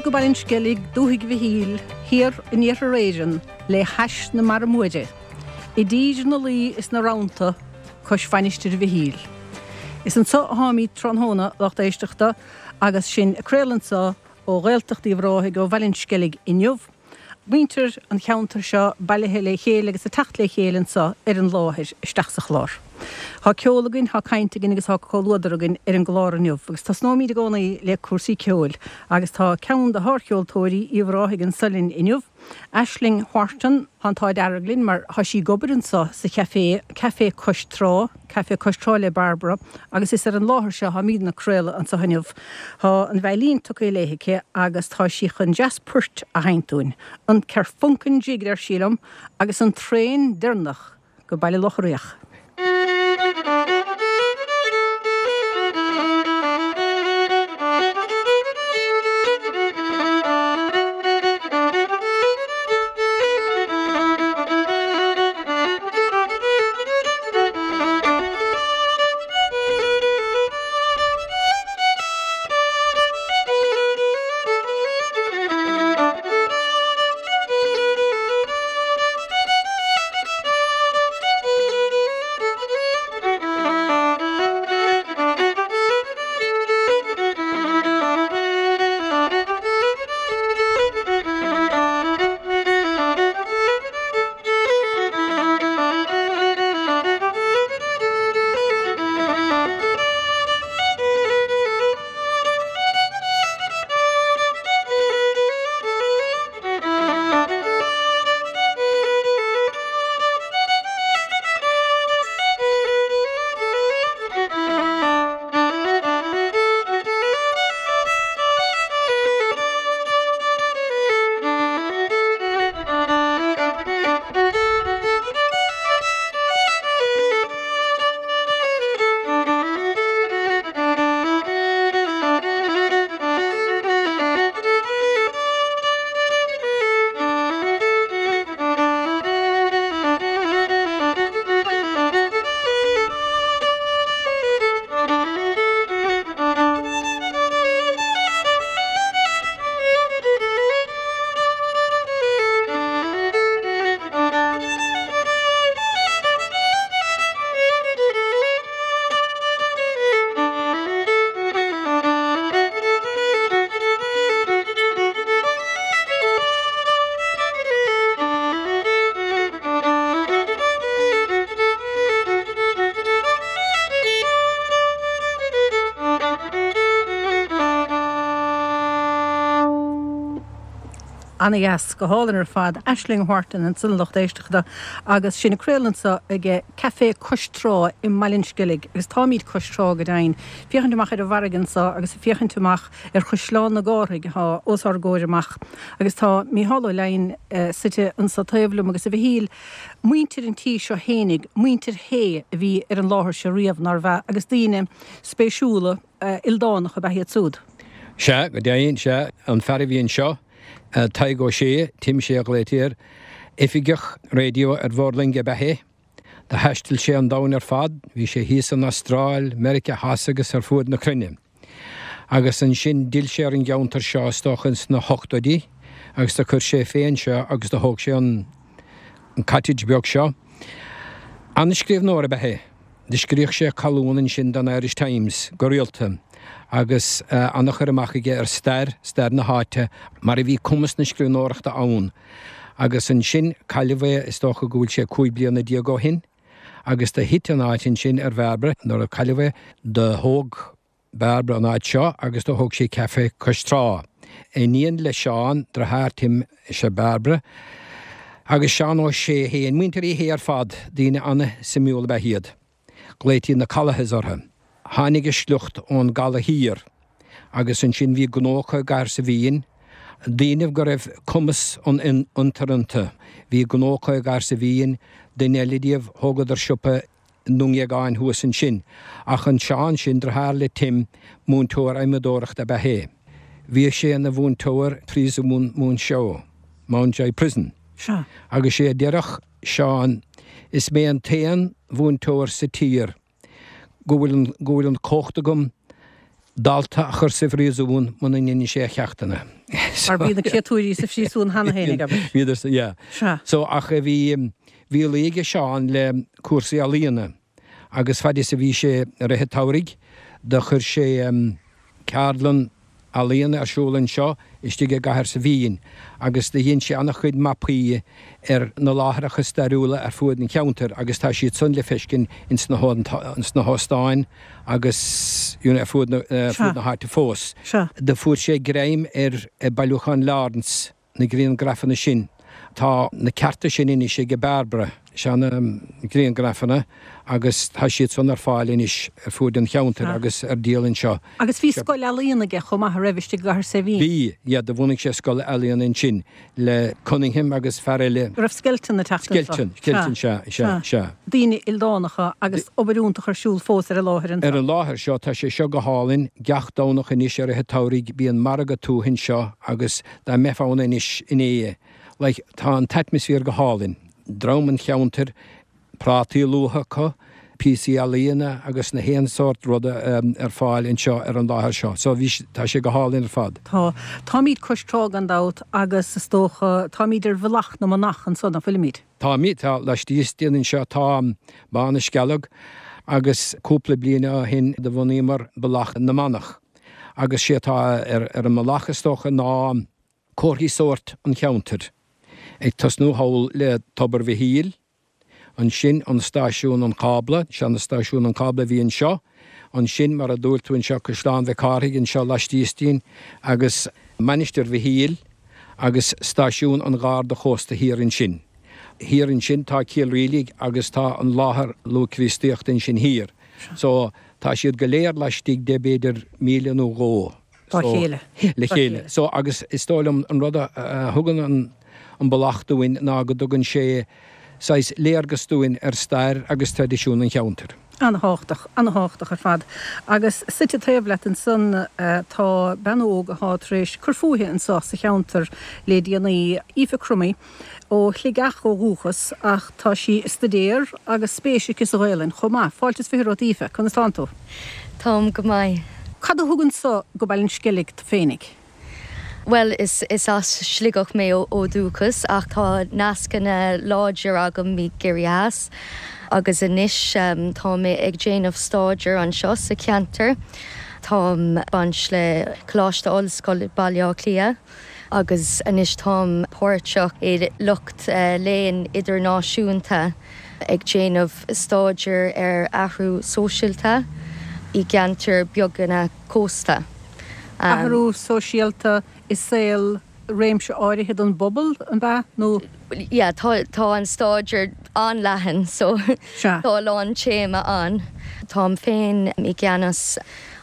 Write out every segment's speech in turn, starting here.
go Baile an Sceilg, dúthaigh Mhichíl, thiar in iarthar Éireann, le hais na Mara Móire, i dtír na laoi is na rannta, cois Mhainistir Mhichíl. Is anso atáimid tráthnóna, lucht éisteachta, agus sinn ag craoladh anso ó Ghaeltacht Uíbh Ráthaigh, ó Bhaile an Sceilg inniu. Muintir an cheantair seo bailithe le chéile agus ag teacht le chéile anso ar an láthair isteach sa chlár. Tá ceol againn, tá caint againn agus tá comhluadar againn ar an gclár inniu agus tosnóimid i gcónaí le cúrsaí ceoil agus tá ceann de shárcheoltóirí Uíbh Ráthaigh anso linn inniu, Aisling Wharton. Tá an t-ádh dearg linn mar tá sí ag obair anso sa chaifé, Café Cois Trá, Café Cois Trá le Barbara agus is ar an láthair seo atáimidne ag craoladh anso inniu. Tá an veidhlín tugtha léi aici agus tá sí chun dreas poirt a sheinnt dúinn. An Kerfunken Jig, a deir sí liom, agus an traein deireanach go Baile Locha Riach. Ana-dheas, go hálainn ar fad. Aisling Wharton ansan a lucht éisteachta agus sinn ag craoladh anso ag Café Cois Trá i mBaile an Sceilg agus táimid cois trá go deimhin, féachaint amach ar an bhfarraige anso agus ag féachaint amach ar Chaisleán na gCárthaigh atá os ár gcomhair amach agus tá Mícheál Ó Leidhin suite anso taobh liom agus a Mhichíl, muintir an tí seo fhéinig, muintir Shé a bhí ar an láthair seo riamh, nárbh ea, agus daoine spéisiúla ildánacha ab ea iad súd. Sea, go deimhin, sea. An fear a bhí anseo, Tadhg Ó Sé, Tim Sé a ghlaoití air, oifigeach raidió ar bhord loinge ab ea é. Do thaistil sé an domhan ar fad, bhí sé thíos san Astráil, Meiriceá Theas agus ar fuaid na cruinne. Agus ansin d'fhill sé ar an gceantar seo, is dócha ins na hochtóidí, agus do chuir sé fé anseo agus do thóg sé an cottage beag seo. An-scríbhneoir ab ea é. Do scríodh sé colún ansin don Irish Times go rialta agus an-chur amach aige ar stair, stair na háite, mar a bhí cumas na scríbhneoireachta ann. Agus ansin cailleadh é, is dócha go bhfuil sé 15 bliana ó shin, agus do thit an áit ansin ar Bhairbre nuair a cailleadh é, do thóg Bairbre an áit seo agus do thóg sí Café Cois Trá. Iníon le Seán, deartháir Tim, is ea Bairbre, agus Seán Ó Sé féin. Muintir Uí Shé ar fad, daoine an-suimiúil ab ea iad. Glaoití na Callaghas orthu. Tháinig a sliocht ón gCaladh Thiar agus ansin bhí gnó acu i gCathair sa Mhín, daoine go raibh cumas an fhiontair iontu. Bhí gnó acu i gCathair sa Mhín, duine eile díobh, thógadar siopa i nDún Dhéagáin thuas ansin. Ach an Seán sin, deartháir le Tim, múinteoir adhmadóireachta ab ea é. Bhíodh sé ina mhúinteoir Príosún Mhuinseo, Mountjoy Prison. Sea. Agus sé a deireadh Seán, Is mé an t-aon mhúinteoir sa tír go bhfuil an, go bhfuil an chumhacht agam. Dalta a chur sa phríosún muna ndeineadh sé a cheachtanna. Mar bhí na créatúirí sa phríosún cheana féin ag abair. Bhíodar sa, yeah. Sea. So, ach bhí, bhí luí aige Seán le cúrsaí ealaíona agus fad is a bhí sé i rith an tsamhraidh do chuir sé ceardlann ealaíona ar siúl anseo istigh i gcathair Saibhín agus do dhein sé an-chuid mapaí ar na láithreacha stairiúla ar fuaid an cheantair agus tá siad san le feiscint ins na hóstáin agus you know ar fuaid na háite fós. Do fuair sé greim ar bailiúchán Lawrence. na griangrafanna sin. Tá na cearta sin anois ag Bairbre, sea na griangrafanna agus tá siad san ar fáil anois ar fuaid an cheantair agus ar díol anseo. Agus bhí scoil ealaíon aige chomh maith, a raibh, istigh i gCathair Saidhbhín? Bhí, yeah, do bhunaigh sé scoil ealaíon ansin le Cunningham agus fear eile. Raibh Skelton ag teacht anseo? Skelton, Skelton, sea, sea, sea. Daoine ildánacha agus obair iontach ar siúl fós ar an láthair anseo. Ar an láthair seo, tá sé seo go hálainn, gach Domhnach anois i rith an tsamhraidh bíonn margadh tuaithe anseo agus Dá mbeifeá ann anois inné, like, tá an t-atmaisféar go hálainn. Dream an cheantair, prátaí luaithe acu, píosaí ealaíona agus na haon sórt ruda ar fáil anseo ar an láthair seo. So bhí, tá sé go hálainn ar fad. Tá. Táimid cois trá gan dabht agus is dócha, táimid ar Bhealach na Manach anso, nach bhfuilimid? Táimid, tá, laistíos dínn anseo tá Bá na Scealg agus cúpla bliain ó shin do bhunaíomar Bealach na Manach. Agus sé atá ar an mbealach is dócha ná comharthaí sóirt an cheantair, ag tosnú thall le Tobar Mhichíl, ansin an stáisiún an cábla, seana-stáisiún an cábla a bhí anseo, ansin mar a dúirt tú anseo Caisleán Mhic Cárthaigh anseo laistíos dínn agus Mainistir Mhichíl agus stáisiún an Gharda Chósta thiar ansin. Thiar ansin tá Cill Rialaig agus tá an láthair luath-Chríostaíochta ansin thiar. So, tá siad go léir laistigh de b'fhéidir míle nó dhó. Dá chéile. Le chéile. So, agus is dóigh liom an rud a thugann an an bealach dúinn ná go dtugann sé saghas léargas dúinn ar stair agus traidisiún an cheantair. An-thábhachtach, an-thábhachtach ar fad. Agus suite taobh leat ansan tá bean óg athá tar éis cur fúithi anso sa cheantar le déanaí, Aoife Crummey. Ó Shligeach ó dhúchas ach tá sí ag staidéar agus spéis aici sa Ghaelainn chomh maith. Fáilte is 20 romhat Aoife, conas tánn tú? Táim go maith. Cad a thug anso go Baile an Sceilg tú féinig? Bhuel, is is as Sligeach mé ó dhúchas ach tá nascanna láidir agam i gCiarraí Theas agus anois tá mé ag déanamh stáidéar anseo sa cheantar. Táim baint le Coláiste Ollscoile Baile Átha Cliath. agus anois táim páirteach i lucht léinn idirnáisiúnta ag déanamh stáidéar ar athrú sóisialta i gceantair beaga cósta. Athrú sóisialta i saol réimse áirithe den bpobal, an ea, nó? Yeah, tá tá an stáidéar an-leathan so tá a lán téama ann. Táim féin i gceannas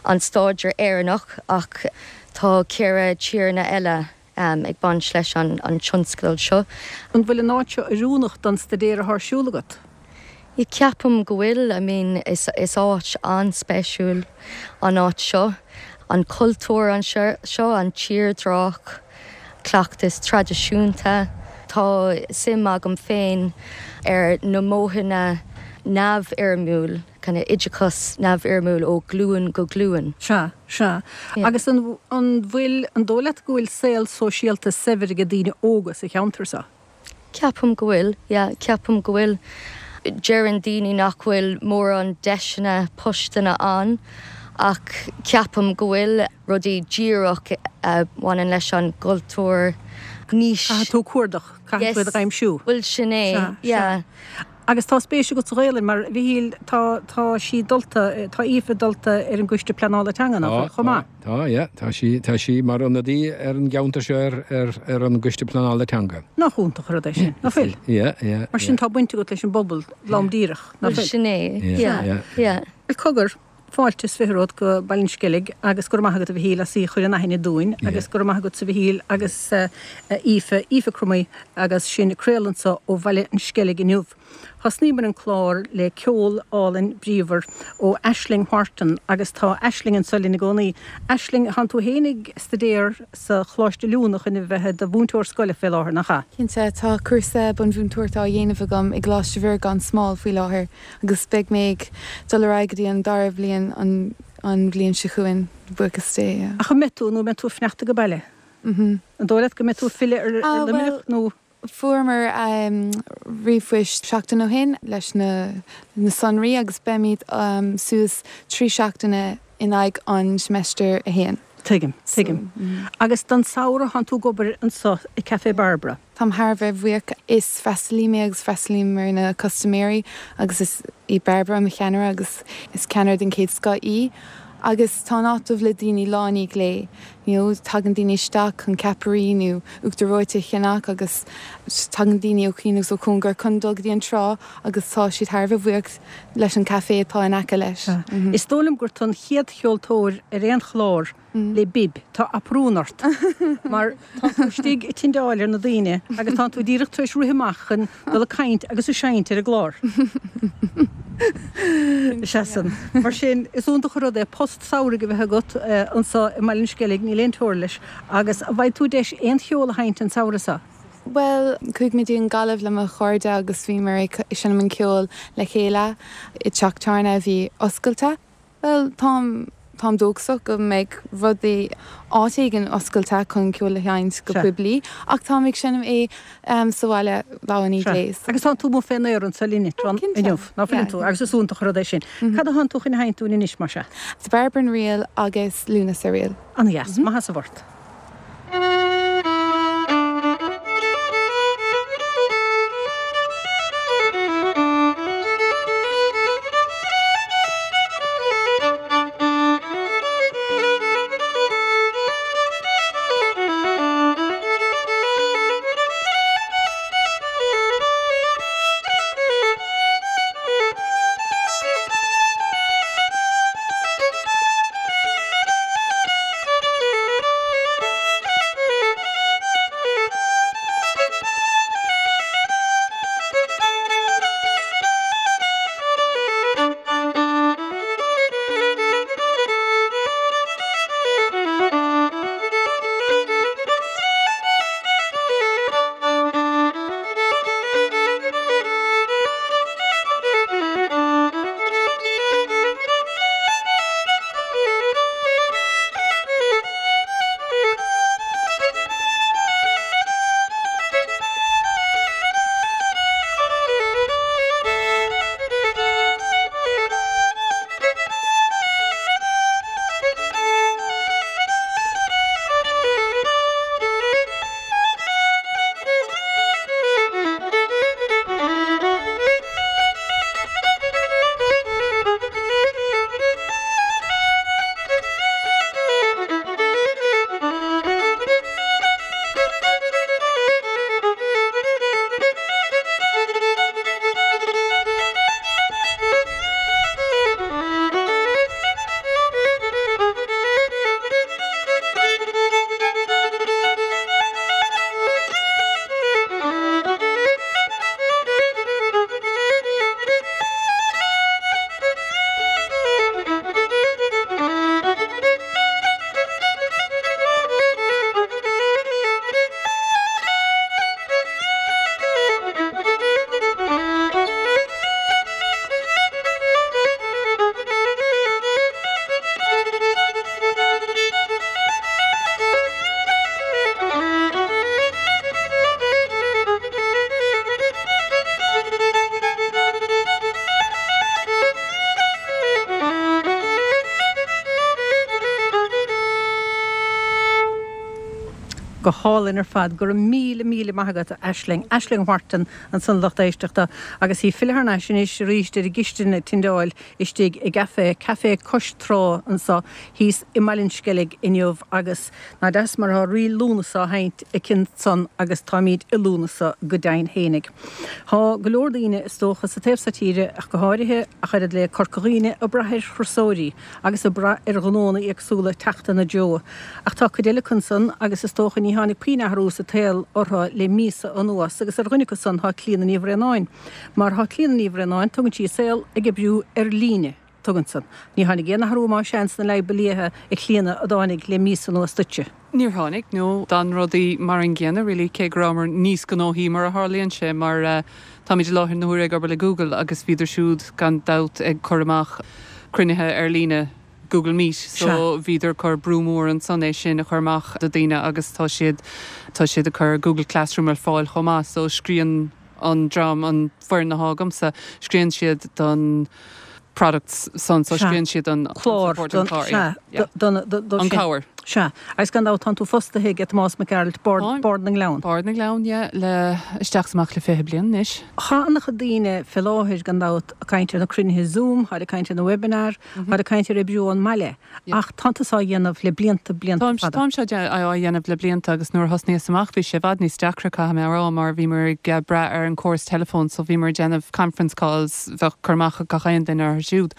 an stáidéar Éireannach ach Tá 4 tíreanna eile ag baint leis an tionscadal seo. An bhfuil an áit seo oiriúnach don staidéar atá ar siúl agat? Yeah, ceapaim go bhfuil. I mean, is áit an-speisiúil an áit seo. An cultúr anseo, an tírdhreach, cleachtas traidisiúnta. Tá suim agam féin ar na modhanna neamhfhoirmiúil. kind of oideachas neamhfhoirmiúil ó ghlúin go glúin. Sea, sea. Agus an, an bhfuil, an dóigh leat go bhfuil saol sóisialta saibhir ag daoine óga sa cheantar seo? Ceapaim go bhfuil, yeah, ceapaim go bhfuil. Deireann daoine nach bhfuil mórán deiseanna postanna ann ach ceapaim go bhfuil rudaí díreach a bhaineann leis an gcultúr níos. Caithfidh tú cuardach, caithfidh tú iad a aimsiú. Bhuel sin é, Sea, yeah. sea. Agus tá spéis agat sa Ghaelainn, mar, a Mhichíl, tá, tá sí dulta, tá Aoife dulta ar an gCoiste Pleanála Teanga, nach bhfuil, chomh maith? Tá, tá, yeah, tá sí, tá sí mar ionadaí ar an gceantar seo ar, ar, ar an gCoiste Pleanála Teanga. Nach iontach an rud é sin, nach bhfuil? Yeah, yeah, Mar sin tá baint agat leis an bpobal, lom díreach, nach bhfuil? Sin é, yeah, yeah, yeah. Bhuel, cogar, Fáilte is 20 romhat go Baile an Sceilg agus go raibh maith agat a Mhichíl as í a chur in aithne dúinn agus go raibh maith agatsa a Mhichíl agus a Aoife, Aoife Crummey agus sinn ag craoladh anso ó Bhaile an Sceilg inniu. Thosnaíomar an clár le ceol álainn bríomhar ó Aisling Wharton agus tá Aisling anso linn i gcónaí. Aisling, thánn tú féin ag staidéar sa Choláiste Oiliúna chun a bheith i do mhúinteoir scoile fé láthair, nach ea? Cinnte, tá cúrsa bunmhúinteoireachta á dhéanamh agam i gColáiste Mhuire gan Smál faoi láthair agus beidh mé ag dul ar aghaidh go dtí an dara bhliain an bhliain seo chugainn, buíochas Dé. Ach an mbeidh tú nó an mbeidh tú ag fanacht ag baile? An dóigh leat go mbeidh tú ag filleadh ar Luimneach nó? Fuaireamar ríomhphoist seachtain ó shin leis na sonraí agus beimid suas 3 seachtaine in aghaidh an seimeastar 1. Tuigim, tuigim. Agus don samhradh thánn tú ag obair anso i Café Barbara. Táim thar a bheith bhuíoch. Is freastalaí mé agus freastalaím ar na custaiméirí agus is í Barbara mo cheannaire agus is ceannaire den chéad scoth í agus tá an áit dubh le daoine lá i ndiaidh lae. You know, tagann daoine isteach chun ceapairí nó uachtar reoite a cheannach agus tagann daoine ó chian agus ó chóngar chun dul go dtí an trá agus tá siad thar a bheith buíoch leis an café atá in aice leis. Is dóigh liom gur tú an chéad cheoltóir ar aon chlár le bib, tá aprún ort mar tá tú istigh ag tindeáil ar na daoine agus tá tú díreach tar éis rith amach chun dul ag caint agus ag seinnt ar an gclár. Sea san. Mar sin, is iontach an rud é post samhraidh a bheith agat anso i mBaile an Sceilg, níl aon teora leis. Agus an bhfaighidh tú deis aon cheol a sheinnt an samhradh seo? Bhuel, chuaigh mé dtí an Ghaillimh le mo chairde agus bhíomar ag seinm an ceoil le chéile i dteach tábhairne a bhí oscailte. Bhuel, táim, táim dóchasach go mbeidh rudaí, áit éigin oscailte chun ceol a sheinnt go poiblí, ach táim ag seinm é sa bhaile lá i ndiaidh lae. Agus tánn tú amuigh fén aer anso linn inniu, ná fuileann tú? Agus is iontach an rud é sin. Cad a thánn tú chun a sheinnt dúinn anois, más ea? The Barbara Reel agus Lúnasa Reel. An-dheas. Maith as an bport. Go hálainn ar fad. Go raibh míle, míle maith agat, a Aisling. Aisling Wharton ansan, lucht éisteachta, agus í ag filleadh thar n-ais anois arís ar an gcistin ag tindeáil istigh i gcaifé, Café Cois Trá anso thíos i mBaile an Sceilg inniu agus ná deas mar atá Ríl Lúnasa á sheinnt aici ansan agus táimíd i Lúnasa go deimhin fhéinig. Tá go leor daoine, is dócha, sa taobh so tíre ach go háirithe, ach oiread le Corca Dhuibhne, ag brath ar thurasóirí agus ag brath ar ghnónna éagsúla teacht ina dtreo. Ach tá cuid eile acu ansan agus is dócha ní. ní tháinig puinn athrú sa tsaol orthu le míosa anuas agus ar dhuine acu san tá Clíona Ní Bhraonáin. Mar tá Clíona Ní Bhraonáin, tugann sí a saol ag oibriú ar líne. Tugann san. Ní tháinig aon athrú más ea sna leadhba liatha, a Chlíona, a dtáinig le míosa anuas duitse. Níor tháinig, no. D'fhan rudaí mar an gcéanna really, cé go rabhamar níos gnóthaí mar a tharlaíonn sé, mar táimid i láthair na huaire ag obair le Google agus bhíodar siúd gan dabht ag cur amach cruinnithe ar líne, Google Meet, so bhíodar ag cur brú mór ansan é sin a chur amach do daoine agus tá siad, tá siad ag cur Google Classroom ar fáil chomh maith, so scríonn an dream, an foireann athá agamsa, scríonn siad don products san, so scríonn siad an clár, don, sea, don, don, an cabhair. Sea, agus gan dabht tánn tú fostaithe ag Tomás Mac Gearailt, Bord, Bord na nGleann. Bord na nGleann, yeah, le isteach is amach le 20 bliain anois. Tá an-chuid daoine fé láthair gan dabht ag caint ar na cruinnithe Zoom, táid ag caint ar na webinar, táid ag caint ar oibriú ón mbaile. Ach tánn tusa á dhéanamh le blianta, blianta fada. Táimse á dhéanamh le blianta agus nuair a thosnaíos amach bhí sé i bhfad níos deacra, caithfidh mé a rá, mar bhíomar ag brath ar an córas teileafóin so bhíomar ag déanamh conference calls, bheadh cur amach ag gach aon duine orthu siúd.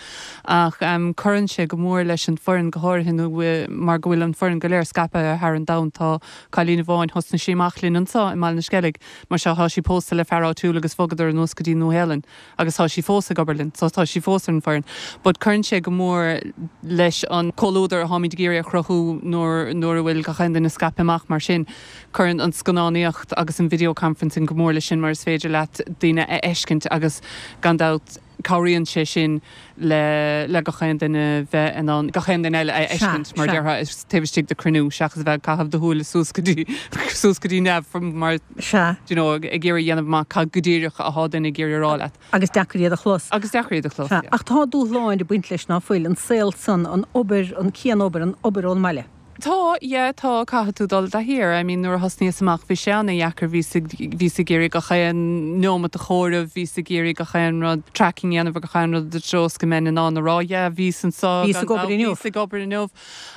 Ach cuireann sé go mór leis an foireann, go háirithe nó mar go bhfuil an foireann go léir scaipthe thar an domhan. Tá cailín amháin, thosnaigh sí amach linn anseo i mBaile na Sceilg, mar seo tá sí pósta le fear áitiúil agus bhogadar anuas go dtí Nua-Shéalainn. agus tá sí fós ag obair linn, so tá sí fós ar an bhfoireann. But cuireann sé go mór leis an comhluadar atáimid ag iarraidh a chruthú nuair nuair a bhfuil gach aon duine scaipthe amach mar sin. Cuireann an scannánaíocht agus an video conferencing go mór leis sin mar is féidir leat daoine a fheiscint agus gan dabht cabhraíonn sé sin le le gach aon duine bheith in ann gach aon duine eile a fheiscint mar déarfá taobh istigh de cruinniú seachas a bheith ag caitheamh do shúile suas go dtí suas go dtí neamh mar Sea. do you know, ag iarraidh a dhéanamh amach cad go díreach athá duine ag iarraidh a rá leat. Agus deacair iad a chlos. Agus deacair iad a chlos, Sea. yeah. Ach tá dúshláin ag baint leis, ná fuil? An saol san, an obair, an cianobair, an obair ón mbaile. Tá, yeah, tá, caithfidh tú dul i dtaithí air. I mean, nuair a thosnaíos amach bhí sé ana-dheacair, bhíos ag, bhíos ag iarraidh gach aon neomat a chomhaireamh, bhíos ag iarraidh gach aon rud, tracking a dhéanamh ar gach aon rud i dtreo is go mbeinn in ann a rá, yeah, bhíos anseo, Bhíos ag obair inniu. Bhíos ag obair inniu.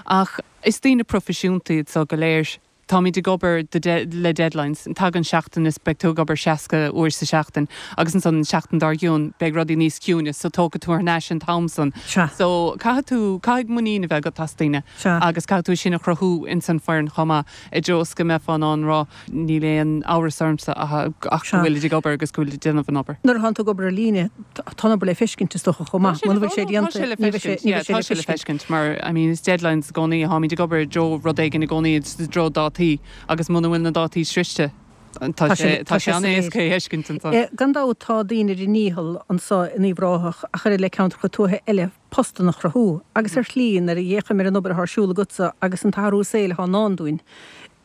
Ach is daoine proifisiúnta iad seo go léir. Táimid ag obair le deadlines. Tagann seachtain is beidh tú ag obair 60 uair sa seachtain agus ansan an seachtain dár gcionn beidh rudaí níos ciúine so tógfaidh tú thar n-ais an t-am san. Sea. So caithfidh tú, caithfidh muinín a bheith agat as daoine Sea. agus caithfidh tú é sin a chruthú ins an foireann chomh maith i dtreo is go mbeifeá in ann rá níl aon amhras ormsa ach go Sea. bhfuilid ag obair agus go bhfuilid ag déanamh an obair. Nuair atánn tú ag obair ar líne, tá an obair le feiscint is dócha chomh maith. Muna bhfuil sé déanta, Tá sé le ní bheidh sé, feiscint, ní yeah, bheidh sé tá le sé le feiscint. feiscint mar, I mean, is deadlines i gcónaí, tháimid ag obair i dtreo rud éigin i gcónaí, i dtreo dátaí agus muna bhfuil na dátaí sroichte, tá Tá sé, sé, tá tá sé sé soiléir. an-éasca é a fheiscint ansan. Gan dabht tá daoine ar a ndícheall anso in Uíbh Ráthach ach oiread le ceantracha tuaithe eile postanna a chruthú agus ar shlí nuair a fhéachaim ar an obair atá ar siúl agatsa agus an t-athrú saoil atá i ndán dúinn,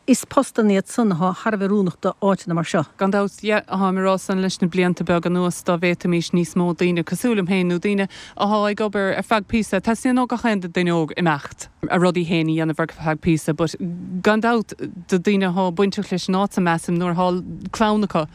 Is postanna iad san athá thar a bheith oiriúnach do áiteanna mar seo. Gan dabht, yeah, tháim ag rá san leis na blianta beaga anuas, dá bhféadfaimís níos mó daoine cosúil liom féin nó daoine athá ag obair ar feadh píosa, teastaíonn ó gach aon duine óg imeacht, a rudaí féin a dhéanamh ar feadh píosa, but gan dabht do daoine athá bainteach leis an áit so measaim nuair athá clann acu,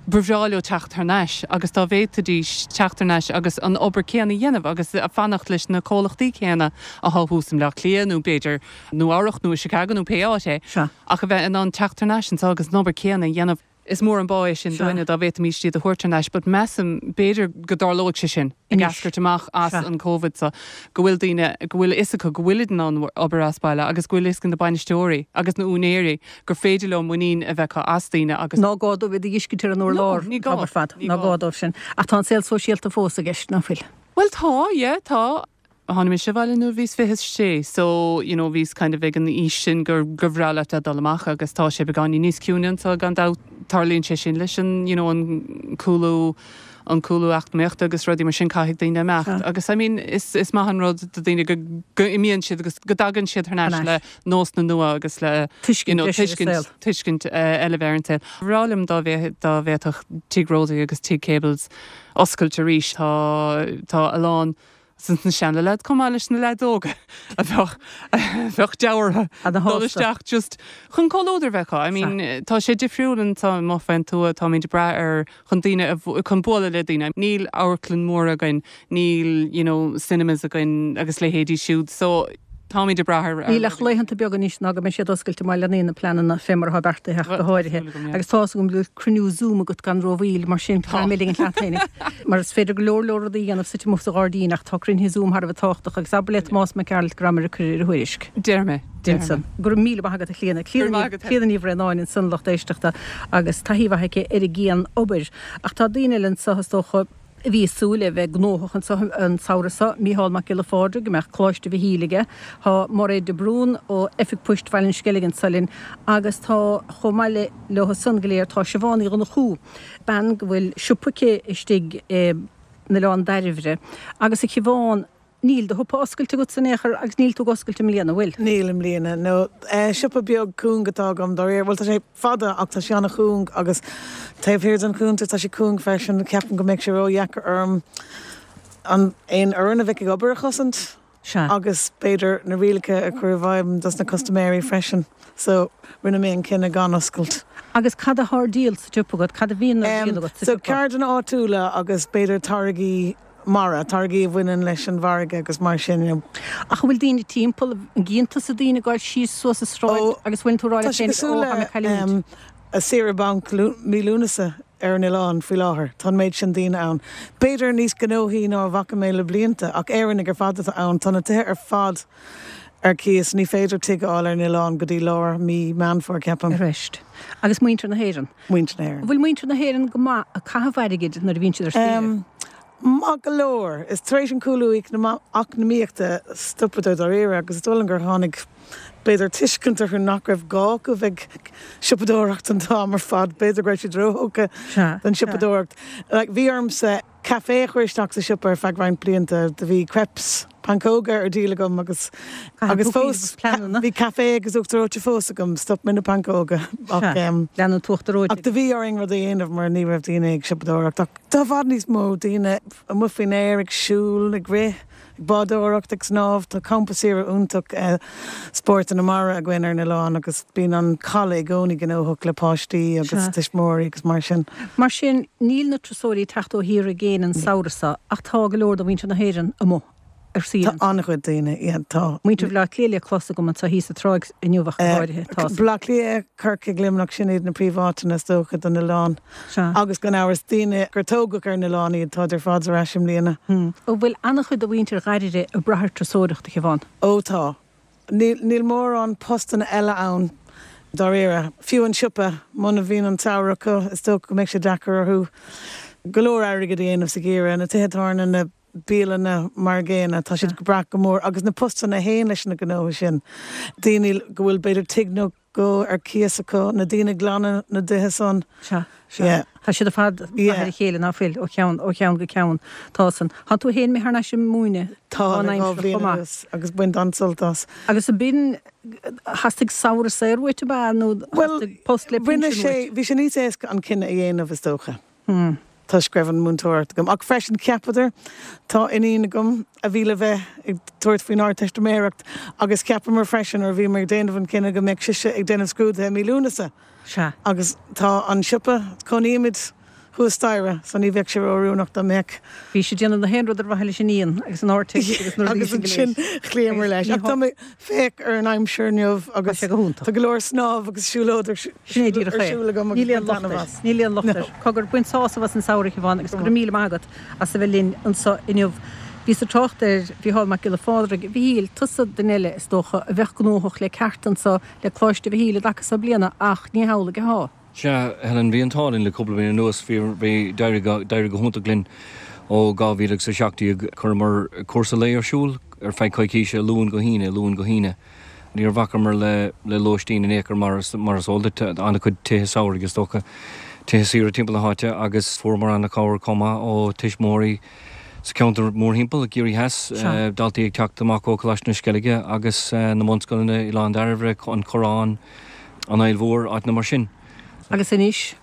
ba bhreá leo teacht thar n-ais agus dá bhféadfaidís teacht thar n-ais agus an obair céanna a dhéanamh agus fanacht leis na comhlachtaí céanna athá thuas i mBleá Cliath nó b'fhéidir Nua Eabhrach nó i Chicago nó pé áit é, Sea. ach a bheith in ann teacht thar n-ais anseo agus an obair céanna a dhéanamh. Is mór an bá é sin Sea. dúinne dá bhféadfaimís iad a thabhairt thar n-ais but measaim, b'fhéidir go dtarlóidh sé sin ag Anois. eascairt amach as Sea. an Covid so, go bhfuil daoine, go bhfuil a fhios acu go bhfuilid in ann obair as baile agus go bhfuil a fhios ag na bainisteoirí agus na úinéirí gur féidir leo muinín a bheith acu as daoine agus. Ná gá dóibh iad a dh'fheiscint ar an No, urlár ní an gá, t-am ar fad. ní Ná gá. gá dóibh sin. Ach tá an saol sóisialta fós i gceist, ná fuil? Bhuel tá, yeah, tá. Tháinig mise abhaile nuair a bhíos 26 so you know bhíos kind of ag an aois sin gur gur bhreá leat a dhul amach agus tá sé beagáinín níos ciúine anseo gan dabht. Tarlaíonn sé sin leis an you know an cúlú an cúlú eacnamaíochta agus rudaí mar sin caithfidh daoine imeacht agus I mean is is maith an rud do daoine go go imíonn siad agus go dtagann siad thar n-ais le nósanna nua agus le Tuiscint you know breise ar an tuiscint saol. tuiscint eile a bheith ar an saol. Ba bhreá liom dá dá bhféadfadh Tigh Rosie agus Tigh Cables oscailt arís. Tá tá a lán de na seana-leaids chomh maith leis na leaids óga a bheadh a bheadh deabhartha dul isteach just chun comhluadar a bheith acu. I mean tá sé difriúil anseo amuigh fén tuath, táimid ag brath ar chun daoine a chun bualadh le daoine. Níl amharclann mór againn, níl you know cinemas againn agus leithéidí siúd so. Táimid ag brath ar. Níl ach laethanta beaga anois ná go mbeidh siad oscailte má leanann na pleananna fé mar atá beartaithe ach go háirithe. Agus tá's agam go bhfuil cruinniú Zoom agat gan rómhoill, mar sin caithfidh mé ligean leat féinig. Mar is féidir go leor leor rudaí a dhéanamh suite amuigh sa ghairdín ach tá cruinnithe Zoom thar a bheith tábhachtach agus abair le Tomás Mac Gearailt go rabhamar ag cur ar a thuairisc. Déarfaidh mé. Déarfaidh mé. Go raibh míle maith agat a Chlíona. Clíona Ní Bhraonáin ansan lucht éisteachta agus taithí mhaith aici ar an gcian-obair. Ach tá daoine eile anso is dócha a bhí ag súil le bheith gnóthach anso an samhradh seo, Mícheál Mac Giolla Phádraig, go mbeadh Coláiste Mhichíl aige, tá Mairéad de Brún ó Oifig Poist Bhaile an Sceilg anso linn agus tá, chomh maith le leo san go léir, tá Siobhán Uí Dhonnchú, bean go bhfuil siopa aici istigh in Oileán Dairbhre. Agus a Shiobhán, Níl do shiopa oscailte agatsa in aon chor agus níl tú ag oscailt i mbliana, an bhfuil? Níl i mbliana, no. Siopa beag cúng atá agam, dáiríre. Bhuel, tá sé fada ach tá sé an-chúng agus taobh thiar den chuntar tá sé cúng freisin. Ceapaim go mbeadh sé ródheacair orm an aon fhoireann a bheadh ag obair a chosaint Sea. agus b'fhéidir na rialacha a chur i bhfeidhm dos na custaiméirí freisin. So, rinne mé an cinneadh gan oscailt. Agus cad atá ar díol sa tsiopa agat? Cad a bhíonn ar díol agat sa So, tsiopa? ceirdeanna áitiúla agus b'fhéidir táirgí mara, táirgí a bhaineann leis an bhfarraige agus mar sin, you know. Ach an bhfuil daoine timpeall, an gcíonn tusa daoine ag goil síos suas an sráid Ó, agus bhfuil tú ag rá tá leat sé féin, cosúil ó, tá mé le ag cailliúint. saoire bainc mí Lúnasa ar an oileán faoi láthair. Tá an méid sin daoine ann. B'fhéidir níos gnóthaí ná a bhfaca mé le blianta, ach Éireannaigh ar fad atá ann. Tá na tithe ar fad ar cíos, ní féidir tigh a fháil ar an oileán go dtí lár mí Meán Fómhair, ceapaim. Arís. Agus muintir na hÉireann. Muintir na hÉireann. An bhfuil muintir na hÉireann go maith ag caitheamh airgid nuair a bhíonn siad ar saoire? Maith go leor. Is tar éis an cúlú eacnamaíochta stopadar dáiríre agus is dóigh liom gur tháinig b'fhéidir tuiscint orthu nach raibh gá acu bheith ag siopadóireacht an t-am ar fad. B'fhéidir go raibh siad róthógtha don siopadóireacht. Like bhí ormsa caife a chur isteach sa siopa ar feadh roinnt blianta. Do bhí crepes, pancóga ar díol agam agus agus fós bhí caife agus uachtar reoite fós agam. Stop mé na pancóga ach Lean an t-uachtar reoite. Ach do bhí orainn rud a dhéanamh mar ní raibh daoine ag siopadóireacht ach Tá i bhfad níos mó daoine amuigh faoin aer, ag siúl, ag rith, ag bádóireacht, ag snámh. Tá campa saoire iontach spórtanna mara againn ar an oileán agus bíonn an caladh i gcónaí gnóthach le páistí agus tuismitheoirí agus mar sin. Mar sin, níl na turasóirí ag teacht ó thíortha i gcéin an samhradh seo ach tá go leor de mhuintir na hÉireann amuigh. ar saoire. Tá an-chuid daoine, yeah, tá. Muintir Bhaile Átha Cliath le clos agam anseo thíos sa tráigh inniu ach go háirithe. Tá. Baile Átha Cliath, Corcaigh, Luimneach, sin iad na príomháiteanna is dócha don oileán. Sea. Agus gan amhras, daoine gur tógadh ar an oileán iad, táid ar fad ar ais i mbliana. An bhfuil an-chuid de mhuintir Dhairbhre ag brath ar turasóireacht, a Shiobhán? Ó tá. Níl mórán postanna eile ann dáiríre. Fiú an siopa, muna mbíonn an tsamhradh acu, is dócha go mbeidh sé deacair orthu go leor airgid a dhéanamh sa gheimhreadh. Na tithe tábhairne, na bialanna mar an gcéanna, tá siad ag brath go mór, agus na postanna a théann leis na gnótha sin, daoine go bhfuil b'fhéidir tigh nó dhó ar cíos acu, na daoine ag glanadh na dtithe san. Sea, sea. Yeah. Tá siad ar fad ag brath ar a chéile, ná fuil, ó cheann, ó cheann go ceann. Tá san. Tá tú féin imithe thar n-ais ag múineadh Tá, le dhá bhliain anuas, agus baint an-sult as. Agus ab in, theastaigh samhradh saor uait, ab ea, nó theastaigh post le pinsean uait? Bhuel, rinne sé, bhí sé níos éasca an cinneadh a dhéanamh, is dócha. toisc go raibh an múinteoireacht agam. Ach freisin, cheapadar, tá iníon agam a bhí le bheith ag tabhairt faoin Ardteistiméireacht agus cheapamar freisin nuair a bhíomar ag déanamh an chinnidh go mbeadh sise ag déanamh scrúduithe i mí Lúnasa. Sea. Agus tá an siopa, cónaímid thuas staighre so ní bheadh sé ró-oiriúnach dá mbeadh. Bhí siad ag déanamh na haon rud ar mhaithe leis an iníon agus an Ardteist agus na rudaí sin go léir. Agus ansin chloíomar leis. Ach tá mé, féach ar an aimsir inniu agus Tá sé go hiontach. tá go leor snámh agus siúlóid ar Sin é díreach é. siúl agam agus Níl aon baint locht taitneamh air. as. Níl aon locht air. Cogar, bain sásamh as an samhradh, a Shiobhán, agus go raibh míle maith agat as a bheith linn anseo inniu. Bhíos ag trácht ar Mhícheál Mac Giolla Phádraig. A Mhichíl, tusa duine eile, is dócha, a bheadh gnóthach le ceart anseo le Coláiste Mhichíl i dtaca seo bliana ach ní hamhlaidh atá. Sea, Helen, bhí an t-ádh linn le cúpla bliain anuas. Bhí, bhí, d'éirigh go, d'éirigh go hiontach linn ó 2000 agus 17. Chuireamar cúrsa lae ar siúl ar feadh coicíse, Luan go hAoine, Luan go hAoine. Níor bhacamar le, le lóistín in aon chor mar is, mar is eol duit, tá an-chuid tithe samhraidh is dócha, tithe saoire timpeall na háite agus fuaireamar an-chabhair chomh maith ó tuismitheoirí sa cheantar mórthimpeall, i gCiarraí Theas, daltaí ag teacht amach ó Choláiste na Sceilge agus na bunscoileanna, Oileán Dairbhre, An Corrán, An Fhaill Mhór, áiteanna mar sin. Agus anois,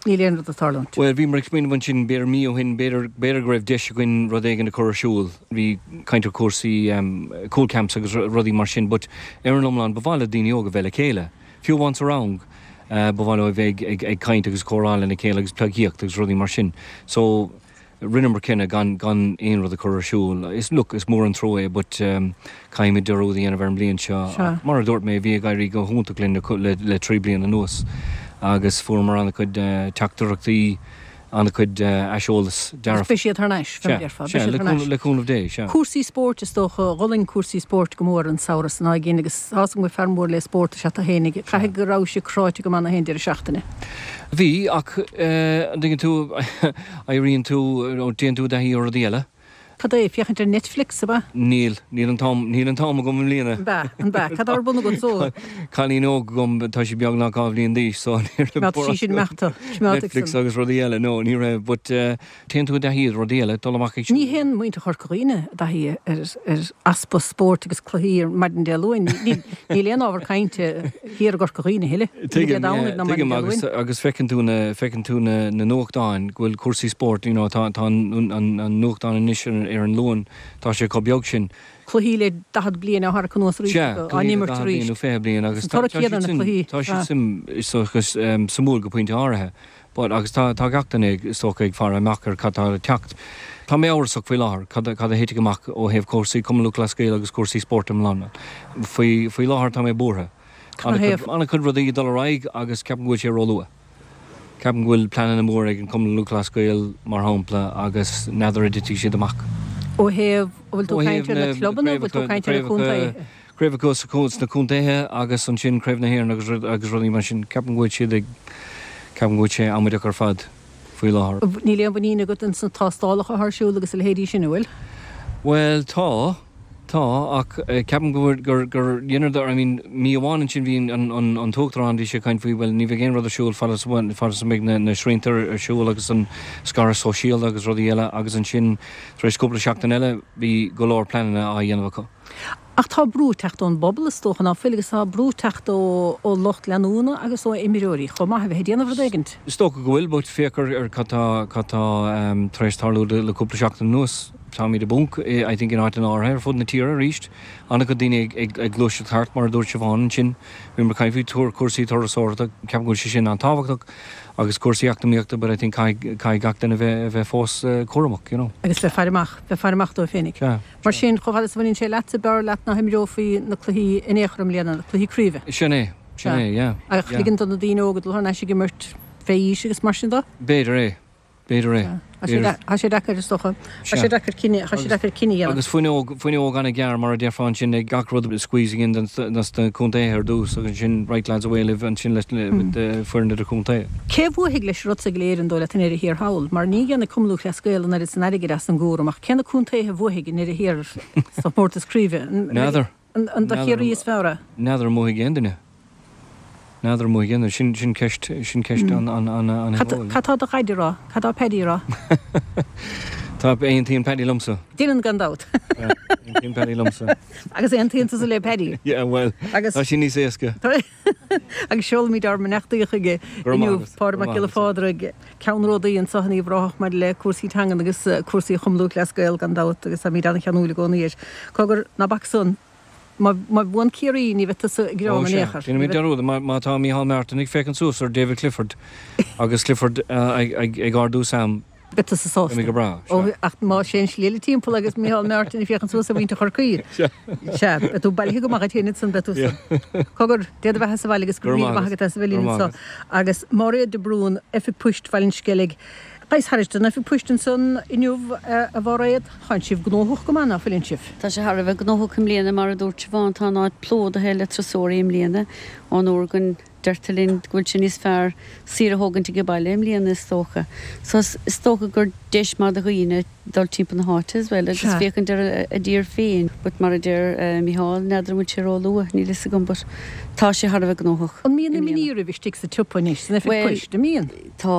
níl aon rud ag tarlúint. Bhuel, bhíomar ag smaoineamh ansin, b'fhéidir mí ó shin, b'fhéidir, b'fhéidir go raibh deis againn rud éigin a chur ar siúl. Bhí caint ar chúrsaí cúl camps agus rudaí mar sin but ar an iomlán ba mhaith le daoine óga bheith le chéile. Fiú amháin sa rang, ba mhaith leo a bheith ag, ag, ag caint agus comhrá lena chéile agus pleidhcíocht agus rudaí mar sin. So. Rinneamar cinneadh gan gan aon rud a chur ar siúl. Is, look, is mór an trua é but caithfimid dearúd a dhéanamh ar an mbliain seo. Ach mar a dúirt mé, bhí ag éirí go hiontach linn le le 3 bliana anuas agus fuaireamar an-chuid teachtaireachtaí, an-chuid aiseolas dearfach. Beidh siad thar n-ais, fé mar a déarfá. Beidh siad thar n-ais. Le cúnamh Dé, sea. Cúrsaí spóirt, is dócha, d'fhulaing cúrsaí spóirt go mór an samhradh san againn agus tá's agam gur fear mór le spórt is ea tú fhéinig. Caithfidh go raibh sé cráite go maith na haon deireadh seachtaine. Bhí, ach an dtuigeann tú, éiríonn tú, nó téann tú i dtaithí ar rudaí eile. Cad é, féachaint ar Netflix, ab ea? Níl, níl an t-am, níl an t-am agam i mbliana. An b'ea, an b'ea? Cad tá ar bun agat so? Cailín óg agam, tá sí beagnach 2 bhliain d'aois, so ní raibh Coimeád sí sin imeachta, coimeád ag Netflix agus rudaí eile, no, ní raibh, but téann tú i dtaithí ar rudaí eile, dul amach ag siúl. Ní théann muintir Chorca Dhuibhne i dtaithí ar easpa spóirt agus cluichí ar maidin Dé Luain. Níl aon ábhar cainte thiar i gCorca Dhuibhne a thuilleadh. Ní Dé Domhnaigh ná maidin Dé Luain. Tuigim, agus feiceann tú na, feiceann tú na nuachtáin go bhfuil cúrsaí spóirt, you know, tá, tá an, an nuachtán anois ar an Luan, tá sé chomh beag sin. Cluichí le 40 bliain á tharrac anuas arís acu, á n-imirt arís. Sea, cluichí le 40 bliain nó 20 bliain agus tá siad sin, tá siad sin, suimiúil go pointe áirithe. But, agus tá, tá gach duine ag, is dócha, ag faire amach ar cad tá le teacht. Tá mé amhrasach faoi láthair cad, cad a thitfidh amach ó thaobh cúrsaí Cumann Lúthchleas Gael agus cúrsaí spóirt iomlán. Faoi, faoi láthair tá mé buartha. Canathaobh? An-chuid rudaí ag dul ar aghaidh agus ceapaim go bhfuil sé róluath. Ceapaim go bhfuil pleananna móra ag an Cumann Lúthchleas Gael, mar shampla, agus n'fheadar an dtitfidh siad amach. Ó thaobh, an bhfuil tú ag caint ar na clubanna, an bhfuil tú ag caint ar na contaetha? Craobhacha sna contaetha agus ansin Craobh na hÉireann agus agus rudaí mar sin. Ceapaim go bhfuil siad ag, ceapaim go bhfuil sé amaideach ar fad faoi láthair. Níl aon mhuinín agat ins na tástálacha atá ar siúl agus a leithéidí sin, an bhfuil? Bhuel, tá, tá, ach ceapaim go bhfuil, gur, gur dheineadar, I mean, mí amháin ansin bhí an, an, an tUachtarán, bhí sé ag caint faoi, bhuel, ní bheidh aon rud ar siúl fad is, fad is a mbeidh na, na srianta ar siúl agus an scaradh sóisialta agus rudaí eile agus ansin tar éis cúpla seachtain eile bhí go leor pleananna á dhéanamh acu. Ach tá brú ag teacht ón bpobal, is dócha, ná fuil, agus tá brú ag teacht ó lucht leanúna agus ó imreoirí chomh maith a bheith ag déanamh rud éigint. Is dócha go bhfuil, but féach ar cad tá, cad tá tar éis tarlú le cúpla seachtain anuas. Táimid i bponc, I think, in áiteanna áirithe ar fud na tíre arís. An-chuid daoine ag ag gluaiseacht thart, mar a dúirt Siobhán ansin. Bhíomar ag caint faoi cúrsaí turasóireachta, ceapaim go bhfuil sé sin an-tábhachtach, agus cúrsaí eacnamaíochta, but I think caithfidh, caithfidh gach duine bheith, bheith fós cúramach, you know. Agus bheith faire amach, bheith faire amach dóibh féinig. Sea. Mar sin, chomh fada is a bhaineann sé leatsa, b'fhearr leat nach imreofaí na cluichí in aon chor i mbliana, na cluichí craoibhe. Sin é, sin é, yeah, Ach yeah. ligean do na daoine óga dul thar n-ais ag imirt fé aois agus mar sin de? B'fhéidir é, b'fhéidir é. Tá sé, tá sé deacair, is dócha. Tá sé deacair cinneadh, tá sé deacair cinneadh a dhéanamh. Agus fuinneog, fuinneog an-ghearr, mar a déarfá ansin, ag gach rud squeezing in dos na contaetha ar dtús agus ansin right lads away libh ansin leis na foireann idir-chontae. Cé a bhuafaidh leis an rud seo go léir an dóigh leat i ndeireadh thiar thall? Mar ní dhéanfaidh Cumann Lúthchleas Gael an oiread san airgid as an gcúram ach cé na contaetha a bhuafaidh i ndeireadh thiar sa chomórtas craoibhe? N'fheadar. An do Chiarraí is fearr é? N'fheadar an mbuafaidh aon duine. N'fheadar an mbuafaidh aon duine. Sin, sin ceist, sin ceist an, an, an, an Cad, cad tá do dhaid a rá? Cad tá Paddy a rá? Tá, aontaíonn Paddy liomsa. Déanann gan dabht. Aontaíonn Paddy liomsa. Agus aontaíonn tusa le Paddy. Yeah, bhuel, tá sé níos éasca. Agus seolaimid ár mbeannachtaí chuige inniu, Pádraig Mac Giolla Phádraig, ceannródaí anseo in Uíbh Ráthach maidir le cúrsaí teangan agus cúrsaí Chumann Lúthchleas Gael gan dabht agus táimid an-cheanúil i gcónaí air. Cogar, ná bac san, má bhuann Ciarraí ní bheidh tusa ag gearán in aon chor. Déanfaimid dearúd, má tá Micheál Martin ag féachaint suas ar David Clifford agus Clifford ag ardú Sam, Beidh tusa sásta. Beidh mé go breá, sea. Ach má théann slí eile timpeall agus Micheál Martin ag féachaint suas ar mhuintir Chorcaí, sea, beidh tú bailithe go maith duit féin ansan, beidh tú san. Cogar, Dé do bheatha sa bhaile agus go raibh míle maith agat as a bheith linn anseo. Agus Máiréad de Brún, Oifig Poist Bhaile an Sceilg. Ghabhas thairis don Oifig Poist ansan inniu, a Mháiréad. Tánn sibh gnóthach go maith, ná fuileann sibh? Tá sé thar a bheith gnóthach i mbliana, mar a dúirt Siobhán, tá an áit plódaithe le turasóirí i mbliana, ón uair go Deirtear linn go bhfuil sé níos fearr saoire a thógaint age baile i mbliana is dócha. So is dócha gur deis maith do dhaoine dul timpeall na háite as well agus féachaint ar a dtír féin. But mar a deir Micheál, n'fheadar an bhfuil sé ró-luath, níl fhios agam but tá sé thar a bheith gnóthach An mbíonn imní oraibh istigh sa tsiopa anois, san oifig poist, an mbíonn? Tá,